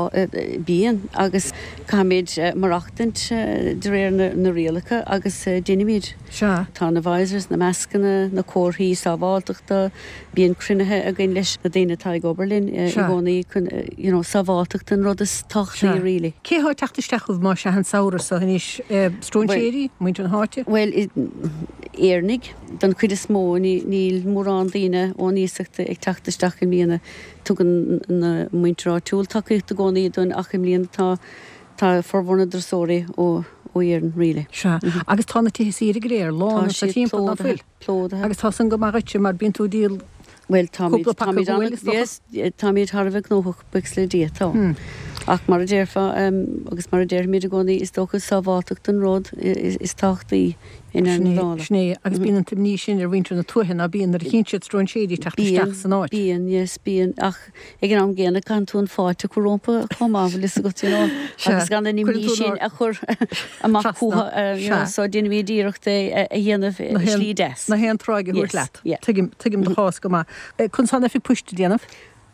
bíonn agus caithfimid maireachtaint de réir na rialacha agus déanaimid. Sea. Tá na visors, na mascanna, na comharthaí sábháilteachta, Bíonn cruinnithe againn leis na daoine atá ag obair linn i gcónaí chun you know sábháilteacht an rud is tábhachtaí really. Cé thá ag teacht isteach chugaibh más ea an samhradh so anois? Stróinséirí? Muintir na háite? Bhuel, Éireannaigh don chuid is mó, níl mórán daoine ón iasacht ag teacht isteach i mbliana. Tugann na muintir áitiúil tacaíocht i gcónaí dúinn ach i mbliana tá. Tá formhór na dturasóirí ó Éirinn really. Sea. Agus tá na tithe saoire go léir lán Tá anso siad timpeall, ná plódaithe, fuil? plódaithe. Agus tá san go maith dhuitse mar bíonn tú ag díol Bhuel, táimid, cúpla paca táimid guail an, is dócha? yes, táimid thar a bheith gnóthach, buíochas le Dia, tá. Ach mar a déarfá, agus mar a déarfaimid i gcónaí, is dócha sábháltacht an rud is tábhachtaí i ndeireadh Sin na é, dála. sin é. Agus bíonn an t-imní sin ar mhuintir na tuaithe, ná bíonn, nuair a chíonn siad stróinséirí ag teacht Bíonn, isteach san áit. bíonn, yes, bíonn. Ach Ag an am gcéanna, caitheann tú an fáilte a chur rompu chomh maith, bhfuil fhios agat, you know, agus gan an imní sin a chur amach chucu, you know, so déanaimid iarracht é a dhéanamh i slí deas. Na haon tráigh a thabhairt leat. Tuigim, tuigim do chás go maith. Conas tá an oifig poist ag déanamh?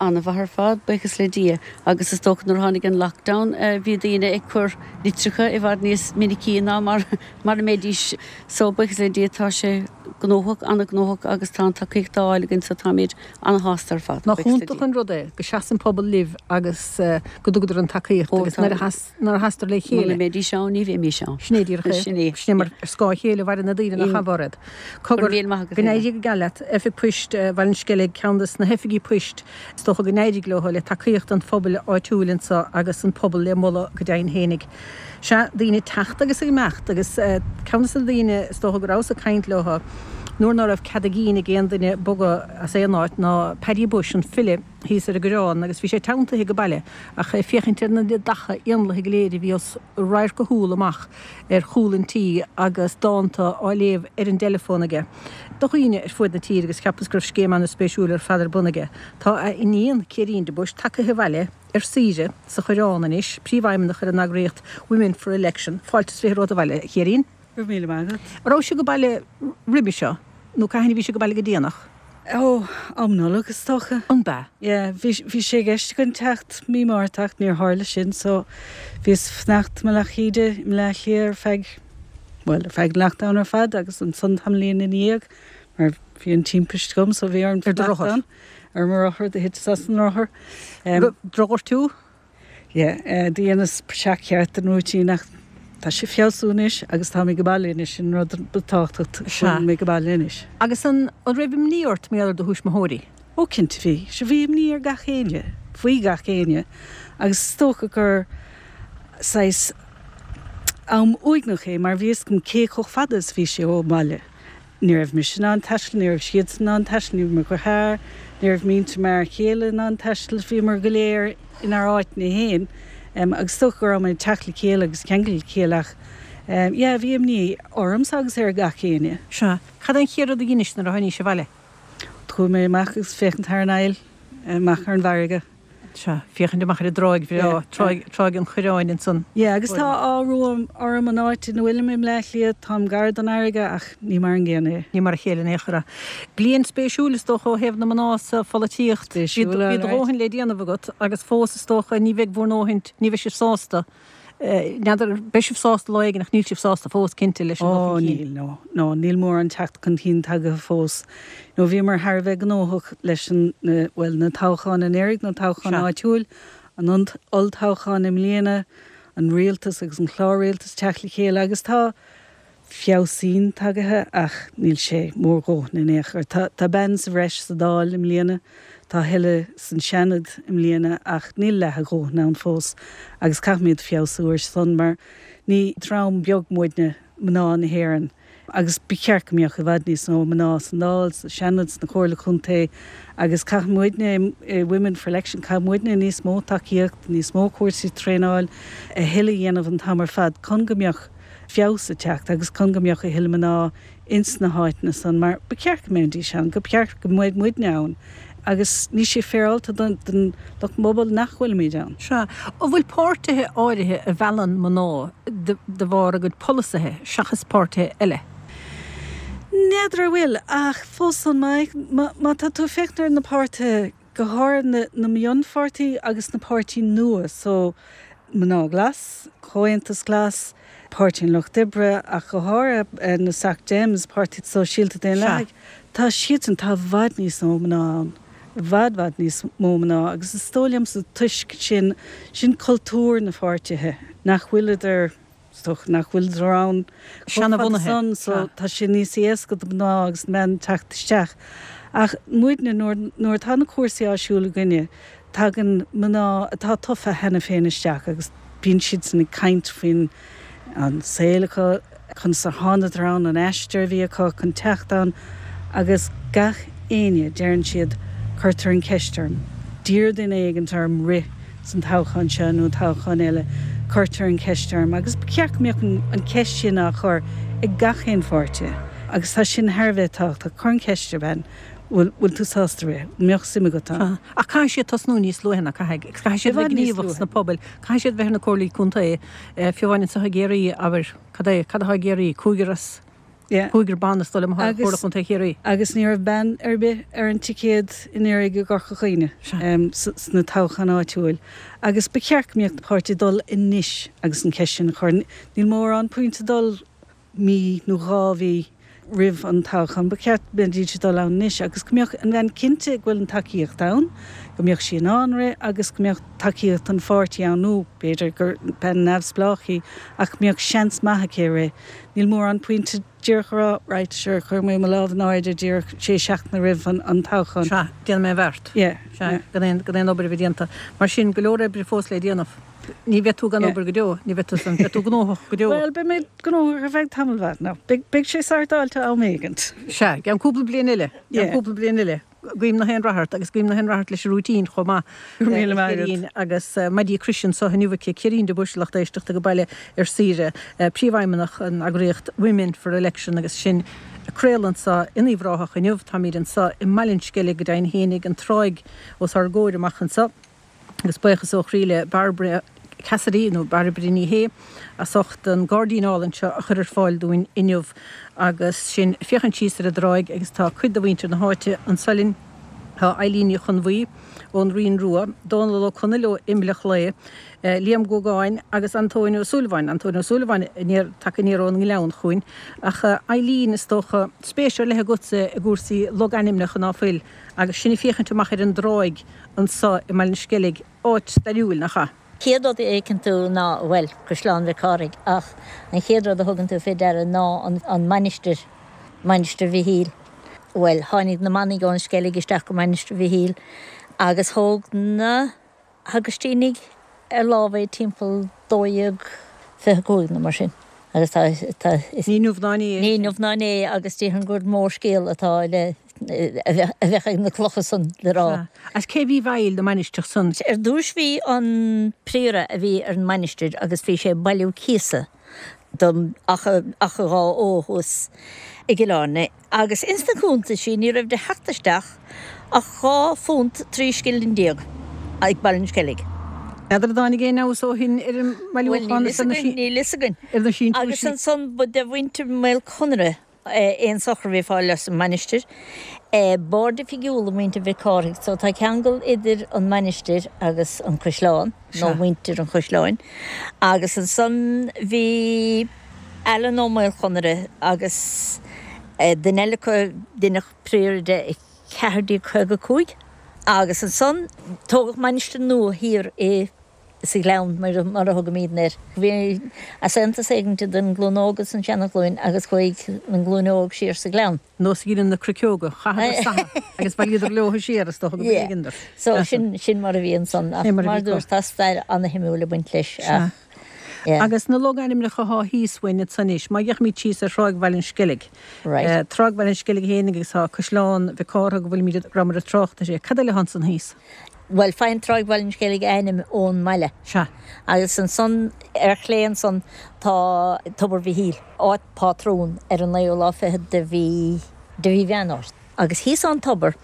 An-mhaith ar fad, buíochas le Dia. Agus is dócha nuair a tháinig an lockdown, bhí daoine ag cur litreacha i bhfad níos minicí ná mar mar a mbeidís. So, buíochas le Dia, tá sé gnóthach, an-ghnóthach agus tá an tacaíocht á fháil againn so táimid An-shásta ar fad. Nach iontach an rud é go seasann pobal libh agus go dtugadar an tacaíocht agus nuair a sheastar le chéile. Muna mbeidís ann ní bheimis ann. Sin é díreach é. Sin é. Sin é mar ar scáth a chéile a mhaireann na daoine nach ea Mhairéad. Cogar, go n-éirí go geal leat. Oifig Poist Bhaile an Sceilg, ceann des na hoifigí poist is dócha go n-éirigh leo le tacaíocht an phobail áitiúil anseo agus an pobal le moladh go deimhin fhéinig. Sea, daoine ag teacht agus ag imeacht agus ceann des na daoine is dócha go rabhas ag caint leo nuair ná raibh cead a gcinn ag aon duine bogadh as aon áit ná Paddy Bushe, an file, thíos ar an gCoireán agus bhí sé teanntaithe go baile ach é ag féachaint ar na neadacha éanlaithe go léir a bhí os radharc a shúl amach ar chúl an tí agus dánta á léamh ar an dteileafón aige do dhaoine ar fuaid na tíre agus cheapas go raibh scéim ana-spéisiúil ar fad ar bun aige. Tá a iníon, Ciairín de Buis, tagaithe abhaile ar saoire sa Choireán anois, príomhfheidhmeannach ar an eagraíocht Women for Election. Fáilte is 20 romhat abhaile, a Chiairín. Go raibh míle maith agat. An raibh sibh ag baile roimhe seo nó cathain a bhí sibh ag baile go déanach? Ó, am Nollag is dócha. An b'ea? Yeah, bhí, bhí sé i gceist againn teacht mí Márta ach níor tharla sin so bhíos fanacht i mBealach Íde i mBleá Cliath ar feadh, bhuel, ar feadh an lockdown ar fad agus ansan tamaillín ina dhiaidh mar bhí an timpist agam so bhí orm Ar do fanacht rothar? ann. Ar mo rothar, do thiteas as an rothar. Drochghortú? Yeah, do dheineas praiseach cheart den rúitín ach tá sé ag feabhsú anois agus tá mé ag baile anois, sin an rud ba tábhachtach, go bhfuil mé ag baile anois. Agus an raibh imní ort mar gheall ar do thuismitheoirí? Ó cinnte bhí. Sea bhí imní ar gach éinne, faoi gach éinne agus is dócha gur saghas am uaigneach é mar bhí fhios agam cé chomh fada is bhí sé ón mbaile. Ní raibh mise in ann taisteal, ní raibh siadsan in ann taisteal, ní raibh mo dheartháir, ní raibh muintir m'fhear chéile in ann taisteal, bhíomar go léir inár áiteanna féin agus is dócha go raibh muid ag teacht le chéile agus ceangal le chéile ach yeah bhí imní ormsa agus ar gach éinne. Sea. Cad é an chéad rud a dheinis nuair a tháinís abhaile? Chuaigh mé amach agus féachaint thar an aill, amach ar an bhfarraige. Sea, féachaint amach ar an dtráigh bhreá, Tráigh an Choireáin ansan. Yeah, agus tá ádh orm an áit ina bhfuilim i mBleá Cliath, táim gar don fharraige ach ní mar an gcéanna é. Ní mar a chéile in aon chor é. Bliain spéisiúil is dócha ó thaobh na mná sa pholaitíocht. Bhí do dhóthain le déanamh agat agus fós is dócha ní bheidh bhur ndóthain, ní bheidh sibh sásta N'fheadar, beidh sibh sásta lá éigin ach níl sibh sásta fós, cinnte, leis an dul Ó, chun cinn. níl, no, no, níl mórán teacht chun cinn tagaithe fós. No, bhíomar thar a bheith gnóthach leis an, na, bhuel, na toghcháin anuraidh, na toghcháin áitiúil, an olltoghchán i mbliana, an rialtas agus an clár rialtais teacht le chéile agus tá, feabhsaín tagaithe ach níl sé mórdhóthain in aon chor. Tá bean sa bhreis sa Dáil i mbliana, tá a thuilleadh san Seanad i mbliana ach níl leath a dhóthain ann fós agus caithfimid feabhsú ar san mar ní dream beag muidne, mná na hÉireann, agus ba cheart go mbeadh i bhfad níos mó mná san Dáil, sa Seanad, sna Comhairle Contae agus caithfidh muidne i Women for Election, caithfidh muidne níos mó tacaíocht, níos mó cúrsaí traenáil, a thuilleadh a dhéanamh an t-am ar fad chun go mbeadh feabhas ag teacht agus chun go mbeadh a thuilleadh mná ins na háiteanna san mar ba cheart go mbeidís ann, go cheart go mbeadh muidne ann agus níl sé féaráilte don lucht pobal nach bhfuilimid ann. Sea. An bhfuil páirtithe áirithe a mheallann mná de bharr a gcuid polasaithe seachas páirtithe eile? N'fheadar an bhfuil ach fós san má tá tú ag féachaint ar na páirtithe go háirithe na mionpháirtí agus na páirtí nua, so Mná Glas, Comhaontas Glas, Páirtí an Lucht Oibre ach go háirithe na Soc Dems, Páirtí Sóisialta Daonlathach, tá siadsan, tá i bhfad níos mó mná ann, i bhfad, bhfad níos mó mná agus is dóigh liomsa toisc sin, sin cultúr na pháirtithe, nach bhfuileadar, Is dócha nach bhfuileadar ann chomh fada san so tá sé níos éasca do mná agus na mban teacht isteach. Ach muidne, nuair, nuair atá na cúrsaí á siúl againne, tagann mná atá tofa cheana féin isteach agus. Bíonn siadsan ag caint faoin an saol acu, conas ar thánadar ann, an aistear a bhí acu chun teacht ann agus gach éinne, deireann siad, cuirtear an cheist orm, d'iarr duine éigint orm rith san toghchán seo nó an toghchán eile, cuirtear an cheist orm agus ba cheart go mbeadh an cheist sin á chur ag gach aon pháirtí agus tá sin thar a bheith tábhachtach, cuir an cheist ar bhean, bhfuil, bhfuil tú sásta rith, an mbeadh suim agat ann? Ach caithfidh siad tosnú níos luaithe ná caithfidh, caithfidh siad bheith gníomhach sna pobail, caithfidh siad bheith ar na comhairlí contae, fiú amháin anseo i gCiarraí, abair, cad é, cad atá i gCiarraí, cúigear as, cúigear ban is dóigh liom atá ar Chomhairle Chontae Chiarraí. Agus ní raibh bean ar bith ar an ticéad anuraidh i gCorca Dhuibhne sna toghcháin áitiúil agus ba cheart go mbeadh na páirtithe ag dul anois agus an cheist sin a chur. Níl mórán pointe dul mí nó 2 mhí roimh an toghchán. Ba cheart go mbeidís ag dul ann anois agus go mbeadh an bhean cinnte go bhfuil an tacaíocht ann, go mbeadh sí in ann rith agus go mbeadh tacaíocht an pháirtí ann nó b'fhéidir gur bean neamhspleách í ach go mbeadh seans maith aici rith. Níl mórán pointe díreach a rá right sure cuirfidh mé mo lámh in airde díreach sé seachtaine roimh an toghchán. Sea, déanfaidh mé an bheart. Yeah. Sea, gan aon, gan aon obair a bheith déanta. Mar sin, go leor oibre fós le déanamh. Ní bheidh tú gan obair go deo, ní bheidh tú san, beidh tú gnóthach go deo. Bhuel, beidh mé gnóthach ar feadh tamall mhaith now. Beidh, beidh sé sortáilte am éigint. Sea, i gceann cúpla bliain eile, i gceann cúpla bliain eile. Guím nach aon rath ort agus guím nach aon rath ort leis an routine chomh maith. Go raibh míle maith agat. Agus maidí croise anso inniu aici, Cirín de Buis, lucht éisteachta ag baile ar saoire, Príomhfheidhmeannach an eagraíocht Women for Election agus sinn ag craoladh anso in Uíbh Ráthach inniu. Táimid anso i mBaile an Sceilg go deimhin fhéinig, an tráigh os ár gcomhair amach anso. Agus buíochas ó chroí le Bairbre Cassidy, nó Bairbre Ní Shé, as ucht an gairdín álainn seo a chur ar fáil dúinn inniu agus sinn ag féachaint síos ar an dtráigh agus tá cuid de mhuintir na háite anso linn. Tá Eilín Ní Chonbhuí ón Rinn Rua, Dónal Ó Conaill ó Imleach Lao, Liam Guagáin agus Antóin Ó Súilleabháin, Antóin Ó Súilleabháin aniar, tagtha aniar ón nGleann chugainn. Ach Eilín, is dócha, spéis ar leith agatsa i gcúrsaí logainmneacha ná fuil? Agus sinn ag féachaint amach ar an dtráigh anso i mBaile an Sceilg, áit stairiúil, nach ea? Chéad rud a fheiceann tú ná, bhuel, Caisleán Mhic Cárthaigh, ach an chéad rud a thugann tú fé deara ná an mainistir, Mainistir Mhichíl. Bhuel, tháinig na manaigh ón Sceilg isteach go Mainistir Mhichíl agus thóg na hAgaistínigh ar lámh é timpeall 1225 nó mar sin agus tá, tá, is. Ní inniu ná inné é. Ní inniu ná inné agus déarfainn gur mór scéal atá le, a bheadh ag na clocha san le rá. Sea. Agus cé bhí i bhfeighil na mainistreach san? Ar dtúis bhí an príora a bhí ar an mainistir agus bhí sé ag bailiú cíosa don Achadh Dhá Fhó thuas i gCill Airne. Agus ins na cuntaisí ní raibh de theacht isteach ach £2 13 scilling ag Baile an Sceilg. N'fheadar an dtáinig aon fheabhas ó shin ar an mbailiúchán is ar na Níl fhios againn. ar na síntiúisí. Agus ansan ba de mhuintir Mhaol Conaire aon sochar a bhí ag fáil as an mainistir. B'aird oifigiúla muintir Mhic Cárthaigh so tá ceangal idir an mainistir agus an caisleán. nó muintir an chaisleáin, agus ansan bhí Alan Ó Maolchonaire agus duine eile acu, deineadh príora de i 1455, agus ansan tógadh mainistir nua thiar i sa Ghleann, mar a thugaimídne air. Bhí easaontas éigint idir an ghlúin óg agus an seana-ghlúin agus chuaigh an ghlúin óg siar sa Ghleann. Nós a dheineann na cruiceoga, chaitheadar sathadh agus bhailíodar leo siar, is dócha go mb'éigean dóibh. So sin, sin mar a bhí ansan. Ach mar a dúirt, tá stair ana-shuimiúil ag baint leis ach, yeah. Agus na logainmneacha atá thíos uainn ansan anois, má fhéachaimid síos ar Thráigh Bhaile an Sceilg, Tráigh Bhaile an Sceilg fhéinig agus tá Caisleán Mhic Cárthaigh go bhfuilimid, rabhamar ag trácht air, cad eile atá ansan thíos? Bhuel, faigheann Tráigh Bhaile an Sceilg a ainm ón mbaile. Sea. Agus ansan ar chlé ansan tá Tobar Mhichíl. áit pátrún ar an naoú lá fichead de mhí de mhí Mheán Fhómhair. Agus thíos ón tobar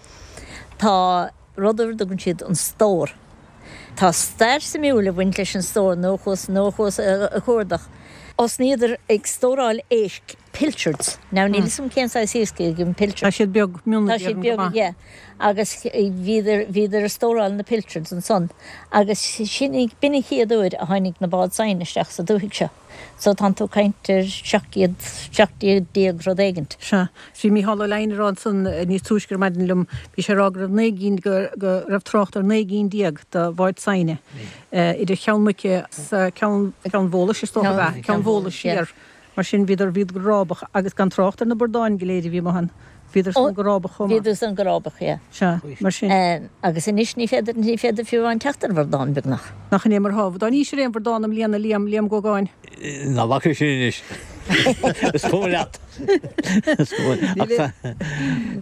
tá rud ar a dtugann siad an stór. Tá stair suimiúil ag baint leis an stór nuair a chuas nuair a chuas a chuardach. Thosnaíodar ag stóráil éisc, pilchards. Now níl fhios agam cén saghas iasc é an pilchard. Tá siad beag, mion Tá siad beag, yeah. Agus bhíodar bhíodar ag stóráil na pilchards ansan agus sin b'in an chéad uair a tháinig na báid saighne isteach sa dúthaigh seo. So tánn tú ag caint ar 17, 17 rud éigint. Sea. Bhí Mícheál Ó Leidhin ag rá ansan níos túisce ar maidin liom, bhí sé ag rá go raibh 19 gcinn, go, go raibh trácht ar 19 gcinn de bháid saighne idir Cheann Muice 's Ceann, Ceann Bhólais is dócha ab ea, Ceann Bhólais siar. Mar sin bhíodar, bhíodar go rábach agus gan trácht ar na bordáin go léir a bhí amuigh ann. Bhíodar san go rábach chomh maith. Bhíodar san go rábach, yeah. Sea, mar sin. Agus anois ní féidir, ní féidir fiú amháin teacht ar bhradán, beagnach. Nach in é mar atá. Dá n-íosfair aon bhradán i mbliana, Liam, Liam Gógáin. Ná bac é sin anois. Is cuma leat. Is cuma.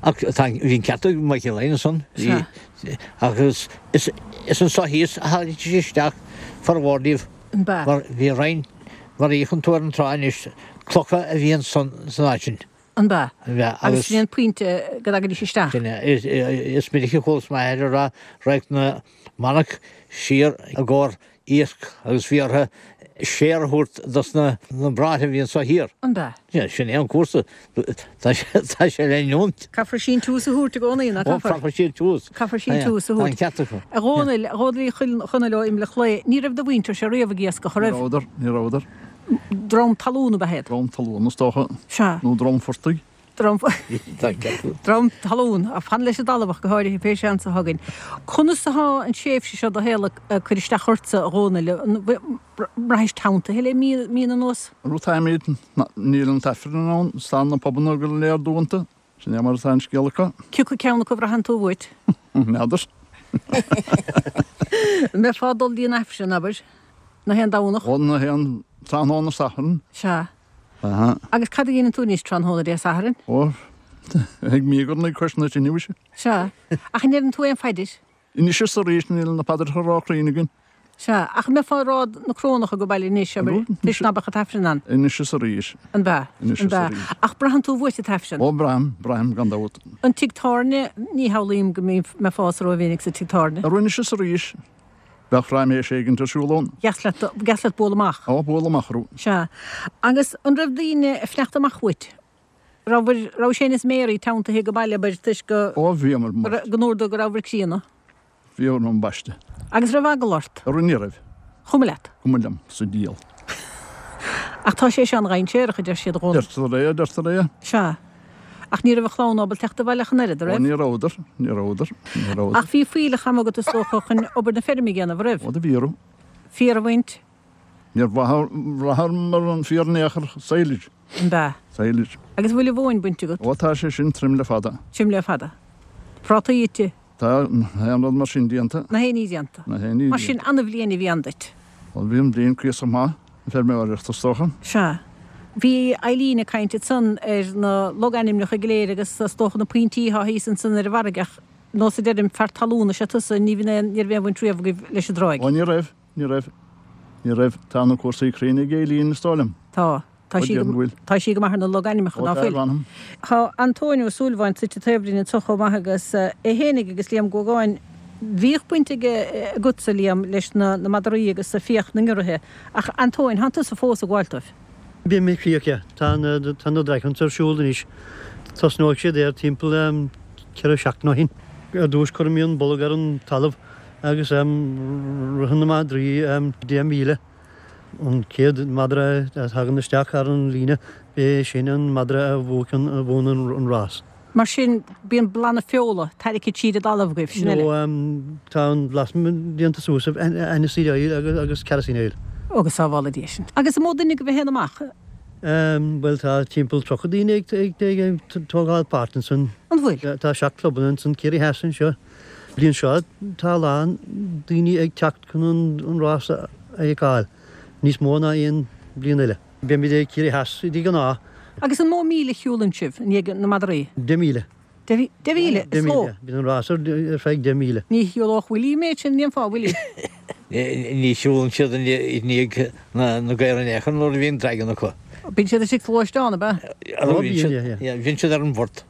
Ach, ach tá, bhí an ceart ag Michael Lyons ansan. Sea. Agus is, is anso thíos a tháinig isteach formhór díobh. An b'ea? Mar bhí roinnt, mar a fhéachann tú ar an trá anois, clocha a bhí ansan san áit sin. An b'ea? An b'ea. Agus sin é an pointe go dtagaidís isteach. Sin é. Is minic a chualas m'athair ag rá raghadh na manaigh siar i gcomhair iasc agus bhí orthu séar a thabhairt dos na bráithre a bhí anso thiar. An b'ea? Sin é an cúrsa. Tá sé le leanúint. Caithfear síntiús a thabhairt i gcónaí, nach gcaithfear? Ó, caithfear síntiús. Caithfear síntiús a thabhairt. Tá an ceart acu. A Dhónaill, a Dhónaill Uí Chonaill ó Imleach Lao, ní raibh do mhuintirse riamh ag iascach, an Ní raibh? rabhadar, ní rabhadar. Dream talún ab ea iad? Dream talún, is dócha. Sea. Nó dream phortaigh. Dream talún, ach fan leis an dtalamh ach go háirithe, pé seans a thagann. Conas atá an tréimhse seo do shaol ag cur isteach ortsa, a Dhónaill? An mbraithis teanntaithe le míonna anuas? Rud táimid, níl an t-aifreann ann, is tá na pubanna go léir dúnta. Sin é mar atá an scéal acu. Cé acu ceann acu a bhraitheann tú uait? N'fheadar. An mbeifeá ag dul dtí an Aifreann, abair, na haon Domhnach? Ó, na haon tráthnóna Sathairn. Sea. Aha. Agus cad a dhéanann tú anois tráthnóna Dé Sathairn? Ó, ag míogarnaigh cois na tine, mhuise. Sea. Ach an ndeireann tú aon phaidir? Anois is arís, níl na paidreacha ró-chruinn againn. Sea. Ach an mbeifeá ag rá na Corónach age baile anois, abair, toisc ná beadh an tAifreann ann? Anois is arís. An b'ea? Anois An is b'ea? arís. Ach braitheann tú uait an tAifreann? Ó, braithim, braithim, gan dabht. An tigh tábhairne, ní shamhlaím go mbeifeá sa rómhinic sa tigh tábhairne. Anois is arís. Bheadh raiméis éigint ar siúl ann. Dheas leat, dheas leat bualadh amach. Ó, bualadh amach orthu. Sea. Agus an raibh daoine ag fanacht amach uait? Raibh, raibh Shane is Mary teanntaithe age baile, abair, toisc go. Ó, bhíomar, mar. Go ndúradar go rabhabhair críonna. Bhíomar ambaiste. Agus raibh eagla ort? Ara ní raibh. Chuma leat? Cuma liom, sa diabhal. Ach tá sé seo an-dhainséarach, a deir siad, a Dhónaill. Deirtear é, deirtear é. Sea. Ach ní raibh a chlann ábalta teacht abhaile ach an oiread, an raibh? Ó, ní rabhadar, ní rabhadar, ní rabhadar. Ach bhí fuílleach ama agat is dócha chun obair na feirme a dhéanamh, an raibh? Ó, do bhí orm. Féar a bhaint? Níor bhraitheamar an féar in aon chor, silage. An b'ea? Silage. Agus an bhfuil an mhóin bainte agat? Ó, tá sé sin tirim le fada. Tirim le fada. Prátaí ite? Tá aon rud mar sin déanta. Na haon ní déanta. Na haon ní Mar sin, an-bhliain a bhí ann duit. Bhuel, bhí an bhliain cuíosach maith, an feirmeoireacht, is dócha. Sea. Bhí Eileen ag caint ansan ar na logainmneacha go léir agus is dócha na pointí atá thíos ansan ar an bhfarraige ach nós a deirim, fear talún is ea tusa, ní bhíonn aon, ní raibh aon bhaint riamh agaibh leis an dtráigh. Ó, ní raibh, ní raibh, ní raibh. Tá na cúrsaí cruinn ag Eileen, is dóigh liom. Tá. Tá sí go, tá sí go maith ar na logainmneacha, ná fuil? Tá Antóin Ó Súilleabháin suite taobh linn anso chomh maith agus é fhéinig agus Liam Gógáin. Bhíodh baint aige, agatsa, Liam, leis na madraí agus fiach na ngiorraithe. Ach Antóin, thánn tusa fós ag gabháil dóibh. Bím ag fiach, yeah. Tá na, tá na dry hunts ar siúl anois. Tosnóidh siad ar timpeall 4 seachtain ó shin. Ar dtús cuirimid an bolg ar an talamh agus ritheann na madraí 10 míle. An chéad mhadra a thagann isteach thar an líne, b'é sin an madra a bhuann an rás. Mar sin, bíonn blanna feola tarraicthe tríd an dtalamh agaibh, sin eile. Nó tá an bhlasma déanta suas of aniseed oil agus kerosene oil. Ó, go sábhála Dia sinn. Agus an mó duine agaibh a théann amach? Bhuel, tá timpeall 30 daoine ag tógáil páirt ansan. An bhfuil? Tá seacht clubanna ansan, Ciarraí Theas anseo. Bliain seo tá a lán daoine ag teacht chun an rás a fheiceáil, níos mó ná aon bhliain eile. Beimid ag Ciarraí Theas de ghnáth. Agus an mó míle a shiúlann sibh i ndiaidh na madraí? 10,000. 10,000? Is mó? 10,000. Bíonn an rás ar feadh 10,000. Ní shiúlódh Willie an méid sin, an ndéanfá, Willie? Ní shiúlann siad i ndiaidh na gcaor in aon chor nuair a bhíonn dragan acu. Bíonn siad istigh sa ghluaisteán, ab ea? Bíonn siad ar an bport.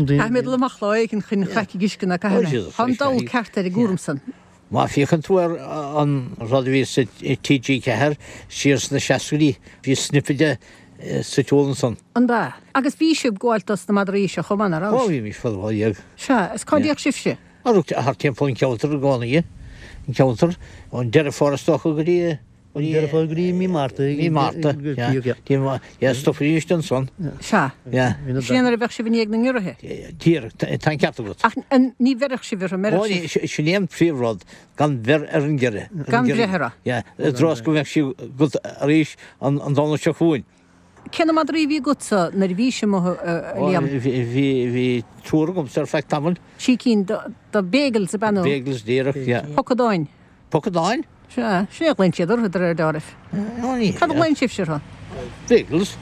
Caithfidh mé dul amach lá éigin chun craic ag uisce ná caithfidh mé. Tá an dall ceart ar an gcúram san. Má féachann tú ar an rud a bhí sa TG4 siar sna seascaidí, bhí snippet de sa tsiúl ansan. An b'ea? Agus bhí sibh ag gabháil dos na madraí seo chomh maith, ná raibh? Ó, bhímis fadó dhéag. Sea, is cá dtéadh sibhse? Thart timpeall an cheantair i gcónaí. An ceantar, ón Deireadh Fómhair is dócha go dtí. Deireadh Fómhair go dtí mí Márta. Mí Márta, yeah. Stopfaidís ansan. Sea. Sin é nuair a bheadh sibh i ndiaidh na ngiorraithe. Díreach, tá an ceart agat. Ach ní bheirfeadh sibh orthu, an mbeireadh sibh? Ó, sin é an príomhrud, gan bheir ar an giorria. Gan breith orthu. Yeah, i dtreo is go mbeadh sí agat arís an Domhnach seo chugainn. Cé na madraí a bhí agatsa nuair a bhís amuigh, a Liam? Bhí, bhí triúr agamsa ar feadh tamaill. Trí cinn de Beagles ab ea nó? Beagles díreach, yeah. Pocadáin. Pocadáin? Sea, sin é a ghlaonn siad orthu de réir dealraimh. Cad a ghlaonn sibhse orthu? Beagles.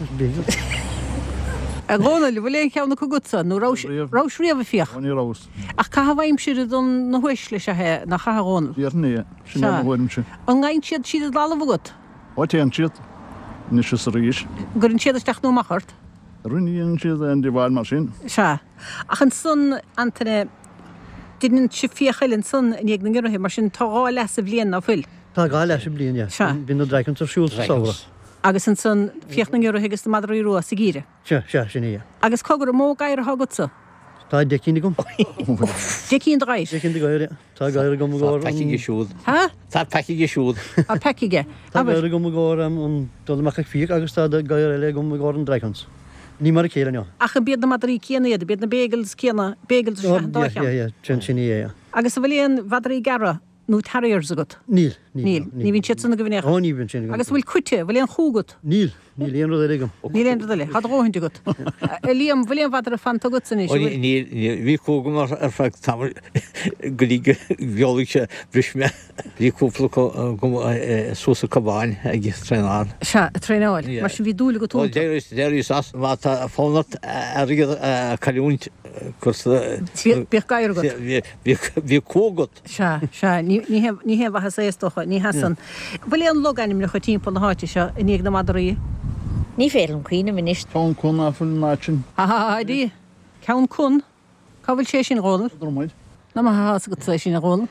A Dhónaill, an bhfuil aon cheann acu agatsa, nó rabhais riamh ag fiach? Ó, ní rabhas. Ach caitheamh aimsire don na huaisle is ea é, nach ea, a Dhónaill? Déarfainn é, sin é mo thuairimse. An ngabhann siad tríd an dtalamh agat? Ó, téann siad, anois is arís. An gcuireann siad isteach nó amach ort? Ní dhéanann siad aon díobháil mar sin. Sea. Ach ansan, Antaine, deineann sibh fiach eile ansan i ndiaidh na ngiorraithe, mar sin tá dhá leath sa bhliain, ná fuil? Tá dhá leath sa bhliain, yeah. Sea. Bíonn na dry hunts ar siúl sa samhradh. Agus ansan fiach na ngiorraithe agus na madraí rua sa gheimhreadh. Sea, sea, sin é, yeah. Agus cogar, an mó gadhar atá agatsa? Tá 10 cinn agam. 10 cinn de ghadhair? 10 cinn de ghadhair, yeah. Tá gadhar agam i gcomhair Tá pack aige siúd. Ha? Tá pack aige siúd. Tá pack aige. Tá gadhar agam i gcomhair an dul amach ag fiach agus tá gadhar eile agam i gcomhair an dry hunts. Ní mar a chéile, no. Ach an b'iad na madraí céanna iad? An b'iad na Beagles céanna? Beagles is ea an dá cheann? Yeah, yeah, yeah, sin é, yeah. Agus an bhfuil aon mhadraí gearra nó terriers agat? Níl, níl. Níl, ní bhíonn siad san agaibh in aon chor? Ó, ní bhíonn sin agam. Agus an bhfuil coite, an bhfuil aon chú agat? Níl, níl aon rud eile agam. Níl aon rud eile, tá do dhóthaint agat. A Liam, an bhfuil aon mhadra fanta agatsa anois? Ó, níl, níl, bhí cú agam ar feadh tamaill go dtí go bhfeolaigh sé, bhris mé. Bhí cúpla acu agam suas sa Cabhán ag traenáil. Sea, ag traenáil. Mar sin bhí dúil agat iontu. D'éiríos as, má tá fonn ort airgead a chailliúint, cuir sa. Bíodh gadhar agat. Bhíodh cú agat. Sea, sea, ní haon mhaitheas é is dócha, ní hea san. Bhfuil aon logainmneacha timpeall na háite seo i ndiaidh na madraí? Ní féidir liom cuimhneamh anois. Ceann Con ná fuil an áit sin. Ha ha ha, Dia! Ceann Con? Cá bhfuil sé sin, a Dhónaill? Dromaid. Nach maith atá fhios agatsa é sin, a Dhónaill.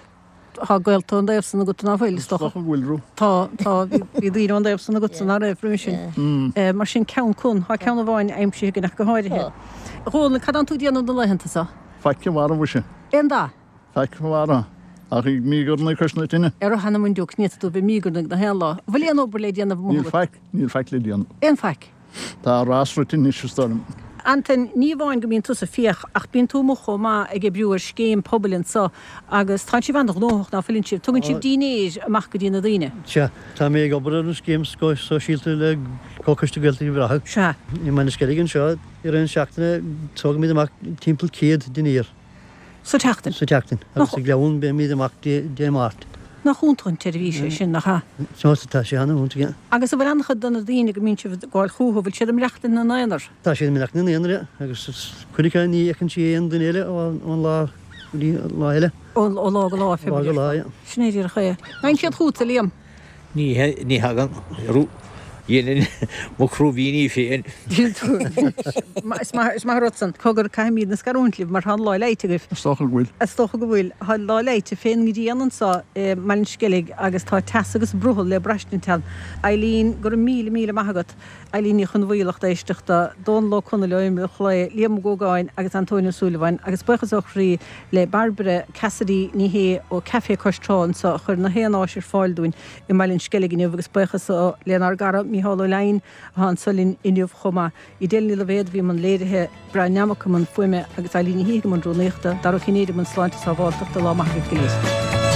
Tá gaolta ón dtaobh san agat ná fuil, is dócha. Is dócha go bhfuil, Rú. Tá, tá, bhí daoine ón dtaobh san agatsa ná raibh roimhe sin. Mar sin, Ceann Con, tá ceann amháin aimsithe againn ach go háirithe. A Dhónaill, cad tánn tú ag déanamh na laethanta so? Faic a mharbh ise. Aon dath? Faic a mharbh. Ach ag míogarnaigh cois na tine. Ar a hanam an diúc, ní fhéadfaidh tú bheith ag míogarnaigh na haon lá. An bhfuil aon obair le déanamh amuigh Níl agat? faic, níl faic le déanamh. Aon faic? Tá a rás rite anois, is dóigh liom. Antain, ní amháin go mbíonn tusa ag fiach, ach bíonn tú amuigh chomh maith ag oibriú ar scéim pobail anso agus tánn sibh an-ghnóthach, ná fuileann sibh? Tugann sibh dínnéir amach go dtí na daoine. Sea, tá mé ag obair ar an scéim sóisialta le Comhchoiste Gaeltachta Uíbh Ráthaigh. Sea. I mBaile an Sceilg anseo, I rith na seachtaine tógaimid amach timpeall 100 dinnéar. Sa tseachtain? Sa tseachtain. Agus sa Ghleann beimid amach Dé Máirt. Nach iontach an tseirbhís é sin, nach ea? Tá, tá sé an-iontach, yeah. Agus an bhfuil an-chuid de na daoine go mbíonn sibh ag gabháil chucu, bhfuil siad ag maireachtaint ina n-aonar? Tá siad ag maireachtaint ina n-aonar, yeah. Agus cuid acu ní fheiceann sí aon duine eile ón lá go dtí an lá eile. Ó lá go lá, fé Lá go lá, yeah. Sin é díreach é. An dtagann siad chugatsa, Liam? Ní ní thagann. Dhéanainn mo chrúibíní féin. Is maith is maith an rud san. Cogar, caithfimídne scarúint libh mar tá an lá leighte agaibh. Is dócha go bhfuil. Is dócha go bhfuil. Tá an lá leighte fén ngrian anso i mBaile an Sceilg agus tá teas agus brothall le braistint ann. Eileen, go raibh míle míle maith agat. Eileen Ní Chonmhaoil, lucht éisteachta, Dónal Ó Conaill ó Imill Chlaí, Liam Ó Gógáin agus Antóin Ó Súilleabháin agus buíochas ó chroí le Bairbre Cassidy Ní Shé ó Café Cois Trá anseo a chuir na haon áis ar fáil dúinn i mBaile an Sceilg inniu agus buíochas lenár gcara Mícheál Ó Leidhin atá anseo linn inniu chomh maith. Edel Ní Loibhéad a bhí i mbun léirithe, Brian Nammock i mbun fuaime agus Eileen Ní hÍthigh i mbun rúnaíochta, Dara Ó Cinnéide i mbun sláinte sábháilteachta, lá maith agaibh go léir.